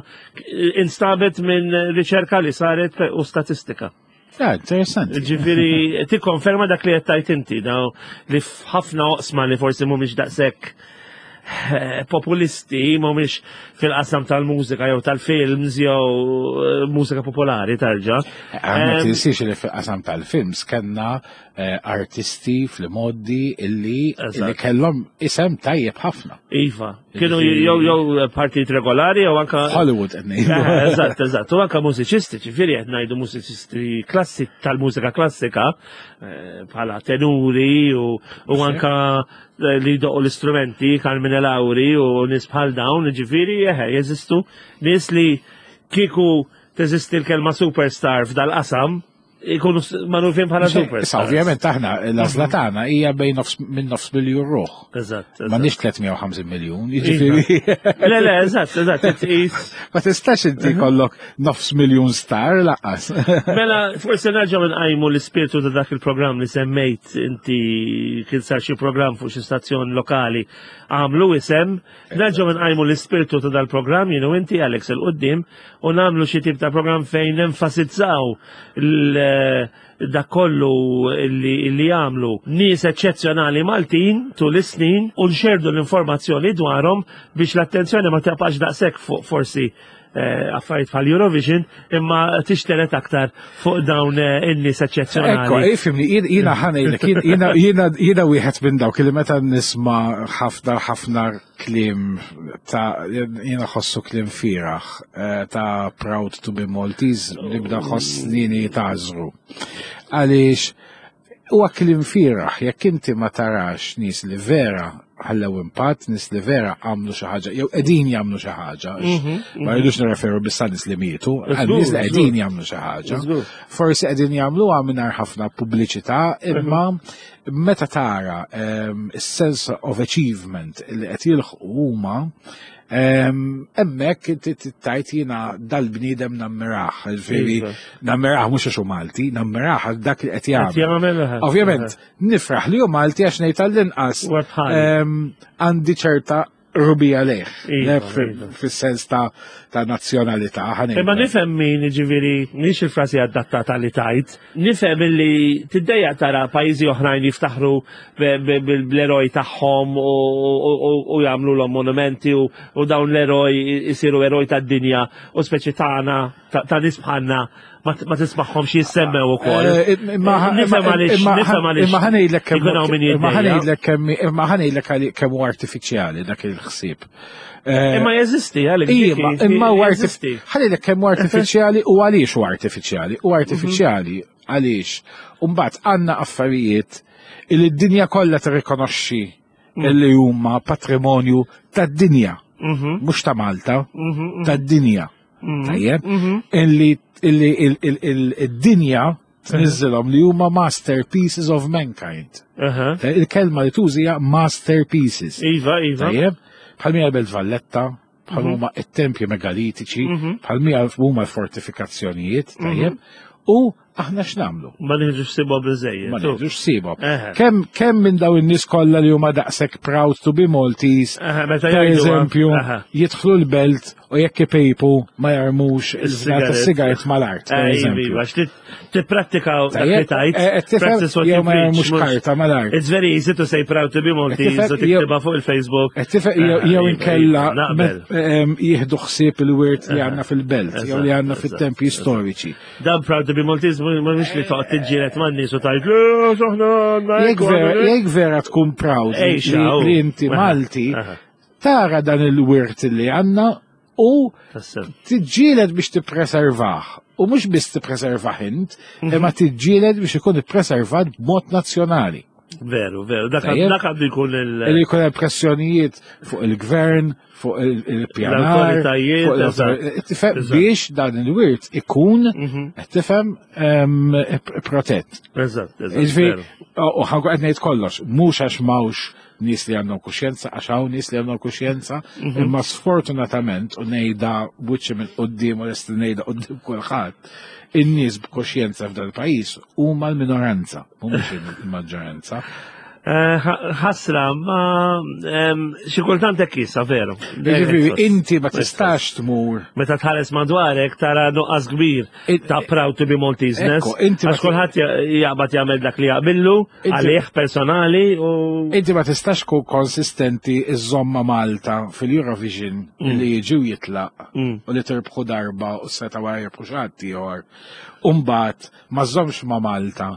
instabet minn riċerka li saret u statistika. Ja, interessanti. Ġifieri tikkonferma dak li qed tgħid inti, daw li f'ħafna oqsma li forsi mhumiex daqshekk eh, populisti, mhumiex fil-qasam tal-mużika jew tal-films jew eh, mużika popolari tarġa. Ma Em, tinsiex li fil-qasam tal-films kellna eh, artisti fl-modi illi Eżatt. illi kellhom isem tajjeb ħafna. Iva, kienu jew jew partit regolari jew anka Hollywood qed ngħidu. Eh, Eżatt, eżatt. U anka mużiċisti, ġifieri qed ngħidu mużiċisti klassi tal-mużika klassika eh, bħala tenuri u, u anka eh, li jdoqqu l-istrumenti, Carmine Lauri u nies bħal dawn, ġifieri eħe, jeżistu nies li kieku teżisti l-kelma superstar f'dal-qasam, ikunu magħrufin bħala Issa superstar. ovvjament aħna l-għażla tagħna hija bejn nofs minn nofs miljun ruħ. Eżatt. Ma nix 350 miljun, jiġifieri. Le, le, eżatt, eżatt, tqis. Ma tistax inti kollok nofs miljun star laqas. Mela, forse nerġgħu nqajmu l-ispirtu ta' dak il-programm li semmejt inti kien sar xi programm fuq xi stazzjon lokali għamlu isem, nerġgħu nqajmu l-ispirtu ta' dal-programm jien u inti Alex il qudiem u nagħmlu xi tip ta' programm fejn nenfasizzaw l- dak kollu li, li jagħmlu nies eċċezzjonali Maltin tul is-snin u nxerdu l-informazzjoni dwarhom biex l-attenzjoni ma tibqax daqshekk fuq forsi eh, affarijiet bħal Eurovision imma tixteret aktar fuq dawn eh, in-nies Ekko, eċċezzjonali. ifimni, jina ħanejlek, jina jina wieħed minn dawk li meta nisma ħafna ħafna kliem ta' jina ħossu kliem firaħ eh, ta' proud to be Maltese, nibda ħossnini tażru. Għaliex huwa kliem firaħ, jekk inti ma tarax nies li vera ħallew impatt, nies li vera għamlu xi ħaġa, jew qegħdin jagħmlu xi ħaġa, għax ma rridux nirreferu biss għal nies li mietu, għal nies li qegħdin jagħmlu xi ħaġa. Żgur. Forsi qegħdin jagħmluha mingħajr ħafna pubbliċità, imma meta tara ehm, is-sense of achievement li qed jilħqu huma ehm, hemmhekk inti tajt jiena dal-bniedem nammiraħ, ġifieri Iva. nammiraħ mhux għax hu Malti, nammiraħ għal dak li qed Qed jagħmel. jagħmel, eh, Ovvjament, nifraħ li hu Malti għax ngħid għall-inqas Huwa bħali. ehm, għandi ċerta Rubija lejh, Iva, iva. fis-sens ta' nazzjonalità. Imma nifhem min ġifieri mhix il-frasi adattata li tajt, nifhem li tiddejjaq tara pajjiżi oħrajn jiftaħru bl-eroj tagħhom u jagħmlu l monumenti u dawn l-eroj isiru eroj tad-dinja u speċi tagħna ta' nies bħalna ma tismagħhomx jissemmew ukoll. Eh, Nifhem għaliex, nifhem għaliex. Imma ħanejlek kemm ikun hawn min imma jiddejjaq. ħanejlek kemm imma ħanejlek għali- kemm hu artifiċjali dak il-ħsieb. Eh, Imma jeżisti għalik. Iva, imma huwa jeżisti. ħanejlek kemm hu artifiċjali u għaliex hu artifiċjali. U artifiċjali għaliex. Umbagħad għandna affarijiet li d-dinja kollha tirrikonoxxi li huma patrimonju tad-dinja, mhux ta' Malta, tad-dinja. Tajjeb, illi illi il-dinja tniżżilhom li huma masterpieces of mankind. Il-kelma li tużi hija masterpieces. Iva, iva. Tajjeb, bħal mija Belt Valletta, bħal huma it-tempji megalitiċi, bħal mija huma l-fortifikazzjonijiet, tajjeb, u aħna x'nagħmlu? Ma nieħdux sibhom biżejjed. Ma nieħdux sibhom. Eħe. Kemm kemm minn daw in-nies kollha li huma daqshekk proud to be Maltese, Eħe, meta per jgħiduha. eżempju, Eħe. jidħlu l-belt u jekk ipejpu ma jarmux Is-sigaret. il-sigaret mal-art, per Eh, iva, eżempju. iva, għax tipprattika dak li Tajjeb, tajt. eh, eh, tifhem, practice what jew you ma preach, jarmux karta mal-art. It's very easy to say proud to be Maltese tifhem, u tiktibha fuq il-Facebook. Qed tifhem, jew Eh, jew iva, inkella iva, Naqbel. jieħdu ħsieb il-wirt li għandna fil-belt, jew li għandna Eżatt, fit-tempji storiċi. Dan proud to be Maltese mhux li toqgħod tiġġieled man-nies u tgħid le aħna għandna Jekk hekk u vera, għandna hekk." jekk vera tkun proud li, Ej, xaw. li inti Aha, Malti, aha. tara dan il-wirt li għandna u Tassew. tiġġieled biex tippreservah. U mhux biss tippreservah int, imma tiġġieled biex ikun ippreservat b'mod nazzjonali. Veru, veru. Dak Tajjeb. dak għandu jkun il- Li jkun hemm pressjonijiet fuq il-gvern, fuq il-pjanar, L-awtoritajiet, fuq l-awtor- eżatt. Tifhem, Eżatt. biex dan il-wirt ikun, qed tifhem, protett. Eżatt, eżatt. Jiġifieri, veru. u ħanku qed ngħid kollox, mhux għax m'hawnx nies li għandhom kuxjenza, għax hawn nies li għandhom kuxjenza, imma sfortunatament u ngħidha buċċi minn quddiem u lest li ngħidha quddiem kulħadd, in-nies b'kuxjenza f'dan il-pajjiż huma l-minoranza, mhumiex il-maġġoranza. Eh, Ħasra, ma xi kultant hekk issa, veru. Jiġifieri inti ma tistax tmur Meta tħares madwarek tara nuqqas kbir ta' proud to be Malteseness. Ekku, inti ma Għax kulħadd jaqbad jagħmel dak li jaqbillu, Inti- għalih personali u Inti ma tistax kun konsistenti iż-żomma Malta fil-Eurovision li jiġi u jitlaq u li tirbħu darba u seta wara jirbħu xi ħadd ieħor. U mbagħad ma żommx ma' Malta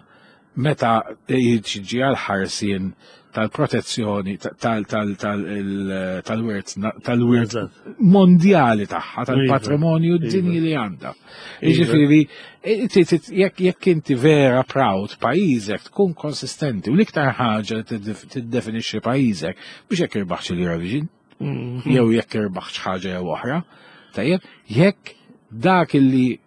meta jiġi għal ħarsien tal-protezzjoni tal-wirt tal-wirt Eżatt. mondjali tagħha, tal-patrimonju Iva. dinji li għandha. Jiġifieri, inti jekk inti vera proud pajjiżek tkun konsistenti u l-iktar ħaġa li tiddefinixxi pajjiżek biex jekk irbaħx il-Eurovision jew jekk irbaħx ħaġa jew oħra, tajjeb, jekk dak illi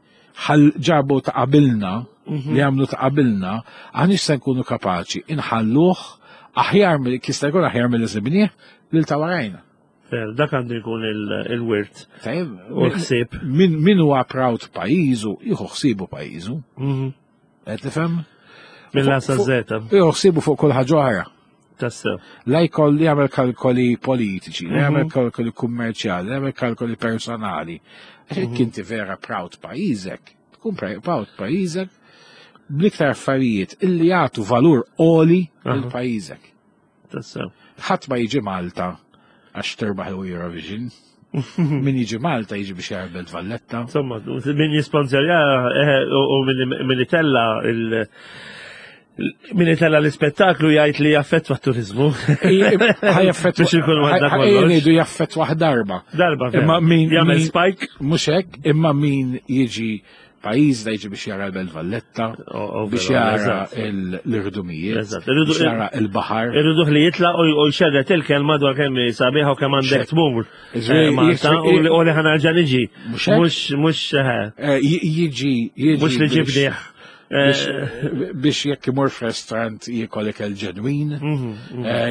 ħal ġabu ta' qabilna, li għamlu ta' qabilna, aħniex se nkunu kapaċi inħalluh aħjar mill jista' jkun aħjar mill sibnieh lil ta' warajna. Veru, dak għandu jkun il-wirt Tajjeb, u l-ħsieb. min huwa proud pajjiżu, jieħu ħsiebu pajjiżu. Qed tifhem? Mill-A sa Z. Jieħu ħsiebu fuq kull ħaġa oħra. Tassew. La jkolli jagħmel kalkoli politiċi, la jagħmel kalkoli kummerċjali, la jagħmel kalkoli personali. Għax jekk inti vera proud pajjiżek, tkun proud pajjiżek bl-iktar affarijiet illi jagħtu valur għoli lil pajjiżek. Tassew. Ħadd ma jiġi Malta għax terbaħ il-Eurovision. Min jiġi Malta jiġi biex jara Belt Valletta. Insomma, min jisponsorja u min itella il- min itella l-ispettaklu jgħid li jaffettwa t-turizmu. Ħa jaffettwa. Biex ikun għadda kollox. Ngħidu jaffettwa darba. Darba, vera. Imma min Jagħmel spike. Mhux hekk, imma min jiġi pajjiż da jiġi biex jara l-Belt Valletta, biex vera, jara eżatt. l-irdumijiet, Eżatt. biex jara il-baħar. Irriduh li jitla u jxerret il-kelma dwar kemm hi sabiħa u kemm għandek tmur. Iġifieri, Malta u li ħa nerġa' niġi. Mhux hekk? Mhux mhux Jiġi jiġi Mhux li biex- ġibnieh. biex jekk imur f'restaurant jiekol ikel ġenwin,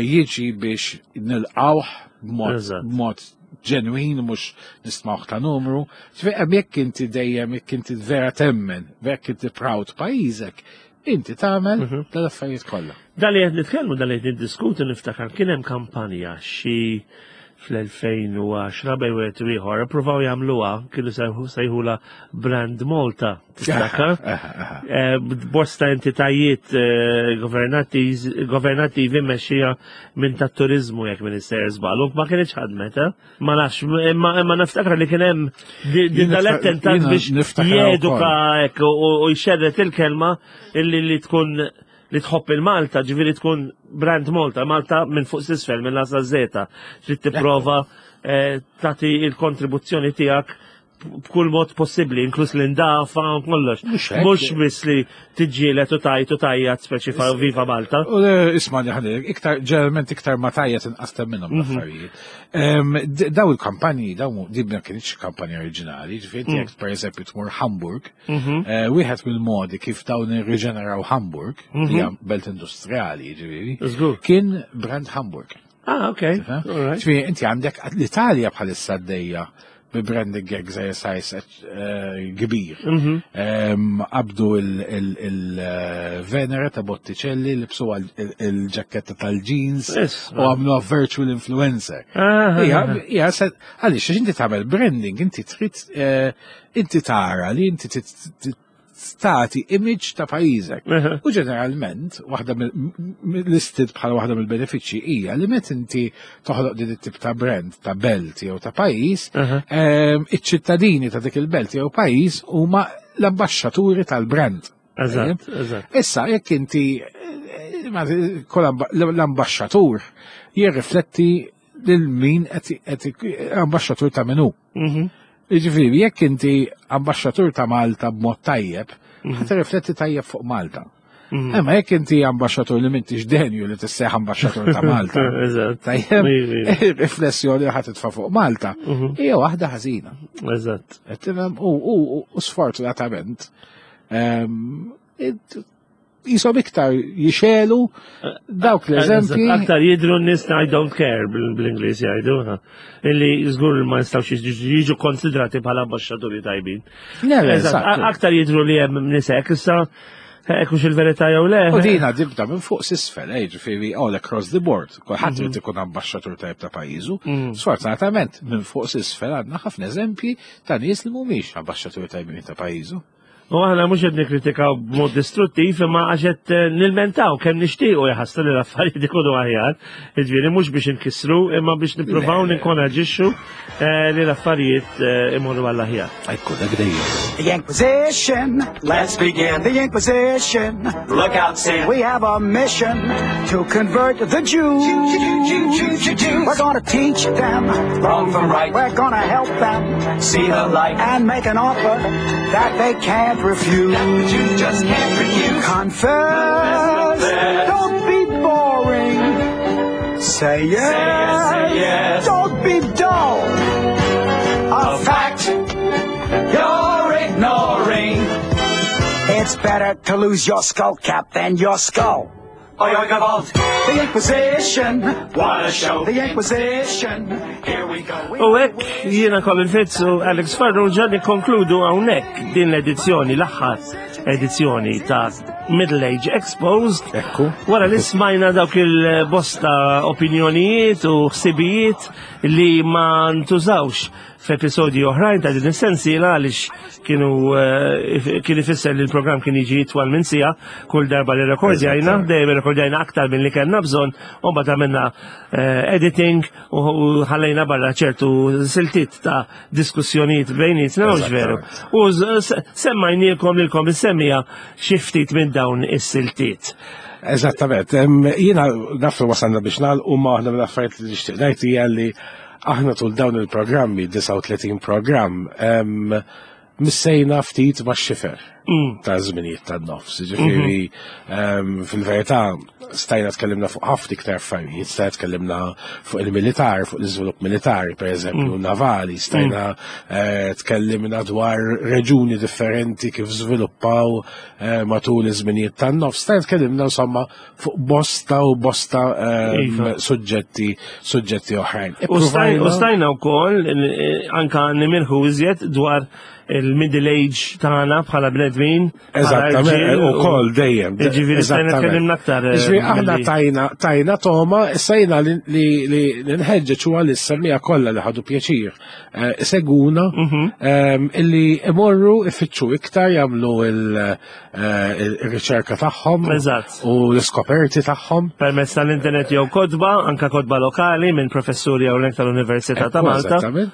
jiġi biex nilqawh b'mod ġenwin, mhux nistmawh ta' numru. Ġifieri, hemm jekk inti dejjem, jekk inti vera temmen, jekk inti proud pajjiżek, inti tagħmel dal-affarijiet kollha. Dal li qed nitkellmu, dal li qed niddiskutu niftakar kien hemm kampanja xi fl-2010 bejn wieħed u ieħor ippruvaw jagħmluha kienu sejħula Brand Malta tiftakar? Eh, bosta entitajiet eh, governattivi mmexxija minn tat-turiżmu jekk minn isser żball. Ma kienx ħadmet, eh? Ma nafx, imma niftakar li kien hemm din dal-attentat biex jeduka hekk u jxerret il-kelma illi li tkun li tħobb il-Malta, ġifieri tkun brand Malta, Malta minn fuq s'isfel, minn l-asa zeta, trid tipprova eh, tagħti il-kontribuzzjoni tiegħek b'kull mod possibbli, inkluż l-indafa u kollox. Mhux biss li tiġġieled u tajt u tajjat speċi fa' Viva Malta. U eh, isma' li ħadir, iktar ġeneralment iktar ma tajjat inqas minnhom mhm. l-affarijiet. Daw il-kampanji, daw din ma kienx kampanja oriġinali, ġifieri mm. jekk pereżempju tmur Hamburg, mhm. eh, wieħed mill-modi kif dawn irriġeneraw Hamburg, mhm. li hija belt industriali, ġifieri, kien brand Hamburg. Ah, ok. Ġifieri inti għandek l-Italja bħalissa għaddejja bi branding exercise eh, kbir. Mhm. Qabdu il-Venere ta' Botticelli li bsu il-ġaketta tal-jeans u għamlu virtual influencer. Ija, għaliex inti tagħmel branding, inti trid eh, inti tara li inti tagħti image ta' pajjiżek. U ġeneralment, waħda listed bħala waħda mill-benefiċċji hija li meta inti toħloq din it-tip ta' brand ta' belt jew ta' pajjiż, ehm, iċ-ċittadini ta' dik il-belt jew pajjiż huma l-ambaxxaturi tal-brand. Eżatt, eżatt. Issa, jekk inti eh, l-ambaxxatur jirrifletti lil min qed ambaxxatur ta' minu. Mhm. Jiġifieri, jekk inti ambaxxatur ta' Malta b'mod tajjeb, mhm. ħa tirrifletti tajjeb fuq Malta. Mhm. Imma jekk inti ambaxxatur li m'intix denju li tisseħ ambaxxatur ta' Malta. Tajjeb, riflessjoni li ħa titfa' fuq Malta mhm. hija waħda ħażina. Eżatt. U sfortunatament ehm, jisom iktar jixelu dawk l-eżempji. Aktar jidru n-nis I don't care bl-Inglis jgħidu. Illi żgur ma jistgħux jiġu konsidrati bħala ambasċaturi tajbin. Aktar jidru li hemm nisek issa hekk il-verità jew le. U dina dibda minn fuq s'isfel, eh, ġifieri all across the board. Kulħadd irid mhm. ikun ambaxxatur tajb ta' pajjiżu. Mhm. Sfortunatament minn fuq s'isfel għandna ħafna eżempji ta' nies li mhumiex ambaxxaturi tajbin ta' pajjiżu. U aħna mhux qed nikkritikaw b'mod distruttiv imma għax qed eh, nilmentaw kemm nixtiequ jaħassu li l-affarijiet ikunu aħjar. Jiġifieri mhux biex inkissru imma biex nippruvaw ninkoraġixxu eh, li l-affarijiet eh, imorru għall aħjar. Ekku dak dejjem. The Inquisition, let's begin the Inquisition. Look out, sin. We have a mission to convert the Jews. We're gonna teach them wrong from right. We're gonna help them see the light and make an offer that they can't refuse. That the Jew just can't refuse. Confess. Don't be boring. Say yes. Say yes, say yes. Don't be dull. A fact you're ignoring. It's better to lose your skull cap than your skull. Oi, oi, gewalt. The Inquisition. What a show. The Inquisition. Here we go. U hekk jiena Colin Fitz u Alex Farrugia nikkonkludu hawnhekk din l-edizzjoni l-aħħar edizzjoni ta' Middle Age Exposed. Ekku. Wara li smajna dawk il-bosta opinjonijiet u ħsibijiet li ma ntużawx f'episodji oħrajn ta' din is-sensiela għaliex kienu eh, kien ifisser li l-programm kien jiġi itwal minn sija kull darba li rekordjajna, dejjem rekordjajna aktar minn li kellna bżonn, u mbagħad għamilna eh, editing u ħallejna barra ċertu siltiet ta' diskussjonijiet bejnietna mhux veru. U semmajnielkom lilkom is-semmija xi ftit minn dawn is-siltiet. Eżattament, jiena naf li wasalna biex nagħlqu ma waħda mill-affarijiet li nixtieq ngħid hija li Aħna tul dawn il-programmi, 39 programm, missejna ftit ma' xifer mm. ta' żminijiet tan-nofs. Ġifieri mm-hmm. fil-verità stajna tkellimna fuq ħafna iktar affarijiet, stajna tkellimna fuq il-militar, fuq l-iżvilupp militari, per eżempju, mm. navali, stajna mm. eh, tkellimna dwar reġuni differenti kif żviluppaw eh, matul iż-żminijiet tan-nofs, stajna tkellimna insomma fuq bosta u bosta ehm, iva. suġġetti suġġetti oħrajn. U stajna wkoll eh, anka nimirħu iżjed dwar il-middle age tagħna bħala bnedmin. bnedmin. Eżattament, u kol dejjem. Ġifieri stajna tkellimna aktar. Eh, ġifieri aħna tajna tajna toma, issa jiena li nħeġġeġ huwa li s-semmija kollha li ħadu pjaċir eh, seguna mhm. ehm, illi imorru ifittxu iktar jagħmlu eh, il-riċerka tagħhom u l-iskoperti tagħhom. Permezz tal-internet jew kodba, anka kodba lokali minn professuri hawnhekk tal-Università ta' Malta. Eżattament.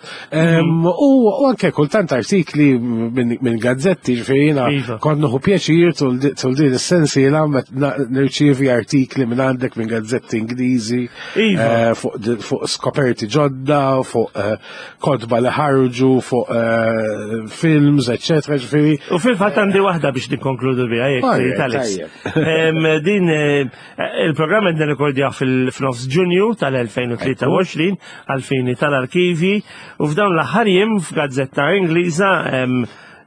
U anke kultant artikli minn gazzetti, ġifieri jiena iva. kont nieħu pjaċir tul din is-sensiela nirċievi artikli minn għandek minn gazzetti Ingliżi iva. eh, fuq skoperti ġodda, fuq eh, kotba li ħarġu, fuq eh, films, eccetera, ġifieri. U fil-fatt għandi waħda biex nikkonkludu biha jekk Alex. Din Il-programm qed nirrekordjah fil-f'nofs Ġunju tal-2023 għall-fini tal-arkivi u f'dawn l-aħħar jiem f'gazzetta Ingliża eh,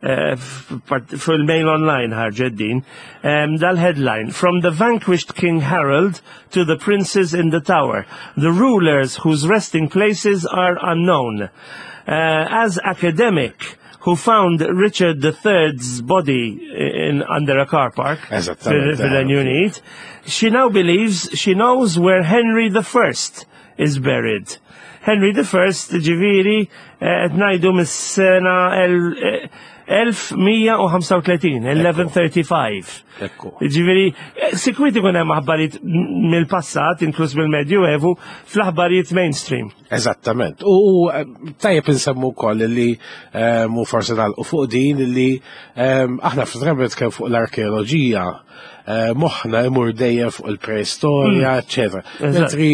fil-mail online ħarġet din dal-headline From the vanquished King Harold to the princes in the tower, the rulers whose resting places are unknown. Uh, as academic, who found Richard III's body in, under a car park fil-Renju Unit. She now believes she knows where Henry I is buried. Henry I, ġiviri, eh, qed ngħidu mis-sena 1135, 1135. Ġifieri, eh, sikwit ikun hemm aħbarijiet mill-passat, inkluż mill-Medju Evu, fl-aħbarijiet mainstream. Eżattament. U eh, tajjeb insemmu wkoll li eh, mu forsi nagħlqu fuq din li eh, aħna f'drabi nitkellmu fuq l-arkeoloġija moħħna imur dejjem fuq il-preistorja, hmm. eċetera. Mentri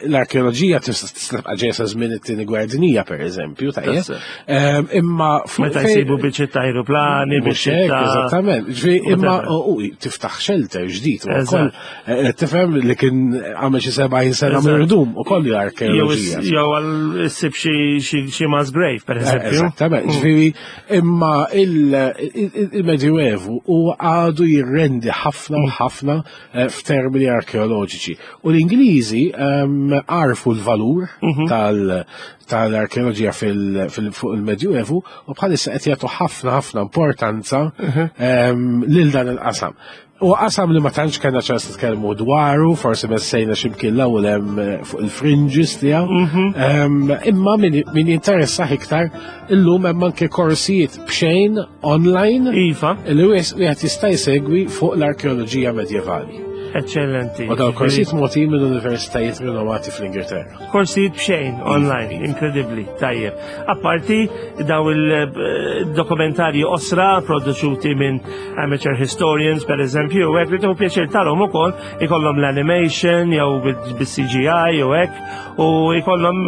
l-arkeoloġija tista' tibqa' ġejja sa żmien it-tieni gwerra dinija pereżempju, tajjeb. Imma meta jsibu biċċiet ta' aeroplani, biċċiet ta' Eżattament. Imma tiftaħ shelter ġdid ukoll Eh, tifhem li kien għamel xi 70 sena mirdum u kollu arkeoloġija. Jew għal issib xi mass grave, per eh, eżempju. Eżattament, mm. ġifieri imma il-Medjuevu u għadu jirrendi ħafna u mm. ħafna eh, f'termini arkeoloġiċi. U l-Ingliżi ehm, għarfu l-valur mhm. tal-arkeoloġija fuq il-Medjuevu u bħalissa qed jagħtu ħafna ħafna importanza mhm. ehm, lil dan il-qasam. U qasam li ma tantx kellna ċans nitkellmu dwaru, forsi messejna x'imkien l-ewwel hemm eh, fuq il-fringes tiegħu. Mhm. Imma min jinteressah iktar illum hemm anke korsijiet b'xejn online. Iva. Li wieħed jista' jsegwi fuq l-arkeoloġija medjevali. Eccellenti. U dawn korsijiet mogħtijin minn universitajiet rinomati fl-Ingilterra. Korsijiet b'xejn online, inkredibbli, tajjeb. Apparti daw il-dokumentarji osra produċuti minn amateur historians, per eżempju, u hekk li tieħu pjaċir tarhom ukoll ikollhom l-animation jew bis-CGI jew hekk u ikollhom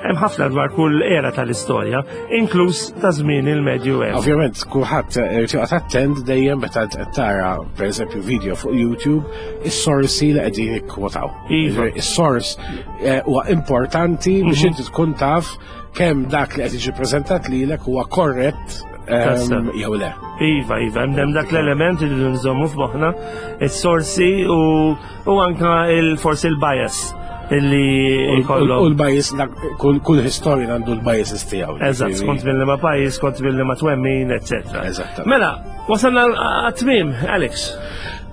hemm ħafna dwar kull era tal-istorja, inkluż ta' żmien il-Medju Evu. Ovvjament, kulħadd irid joqgħod attent dejjem meta tara pereżempju video fuq YouTube, is-sorsi li qegħdin jikkwotaw. Iva. Is-sors eh, huwa importanti biex mhm. inti tkun taf kemm dak li qed jiġi preżentat lilek huwa korrett ehm, jew le. Iva, iva, hemm dak l-element li nżommu f'moħħna, is-sorsi u anka il-forsi il-bias illi jkollhom. U l-bias, kull historian għandu l-biases tiegħu. Eżatt, skont mill ma pajjiż, skont mill ma twemmin, eċetera. Eżatt. Mela, wasalna għat-tmiem, Alex.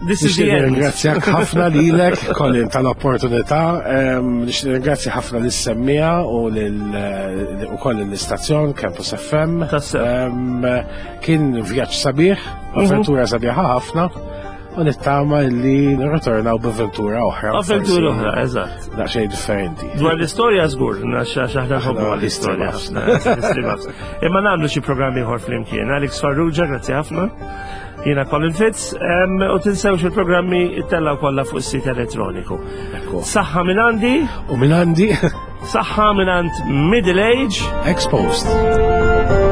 This is the end. Ringrazzjak ħafna lilek, Colin, tal-opportunità. Nixtieq ħafna lis-semmija u ukoll l-istazzjon Campus FM. Kien vjaġġ sabiħ, mhm. avventura sabiħa ħafna. U nittama li nirritornaw b'avventura oħra. Avventura oħra, eżatt. Daqsxejn differenti. Dwar l-istorja żgur, għax aħna nħobbu l-istorja ħafna. Imma nagħmlu xi programm ieħor flimkien. Alex Farrugia, grazzi ħafna. Jiena Colin Fitz, u tinsewx il-programmi ttellaw kollha fuq is-sit elettroniku. Saħħa minn għandi. U minn għandi. Saħħa minn għand Middle Age. Exposed.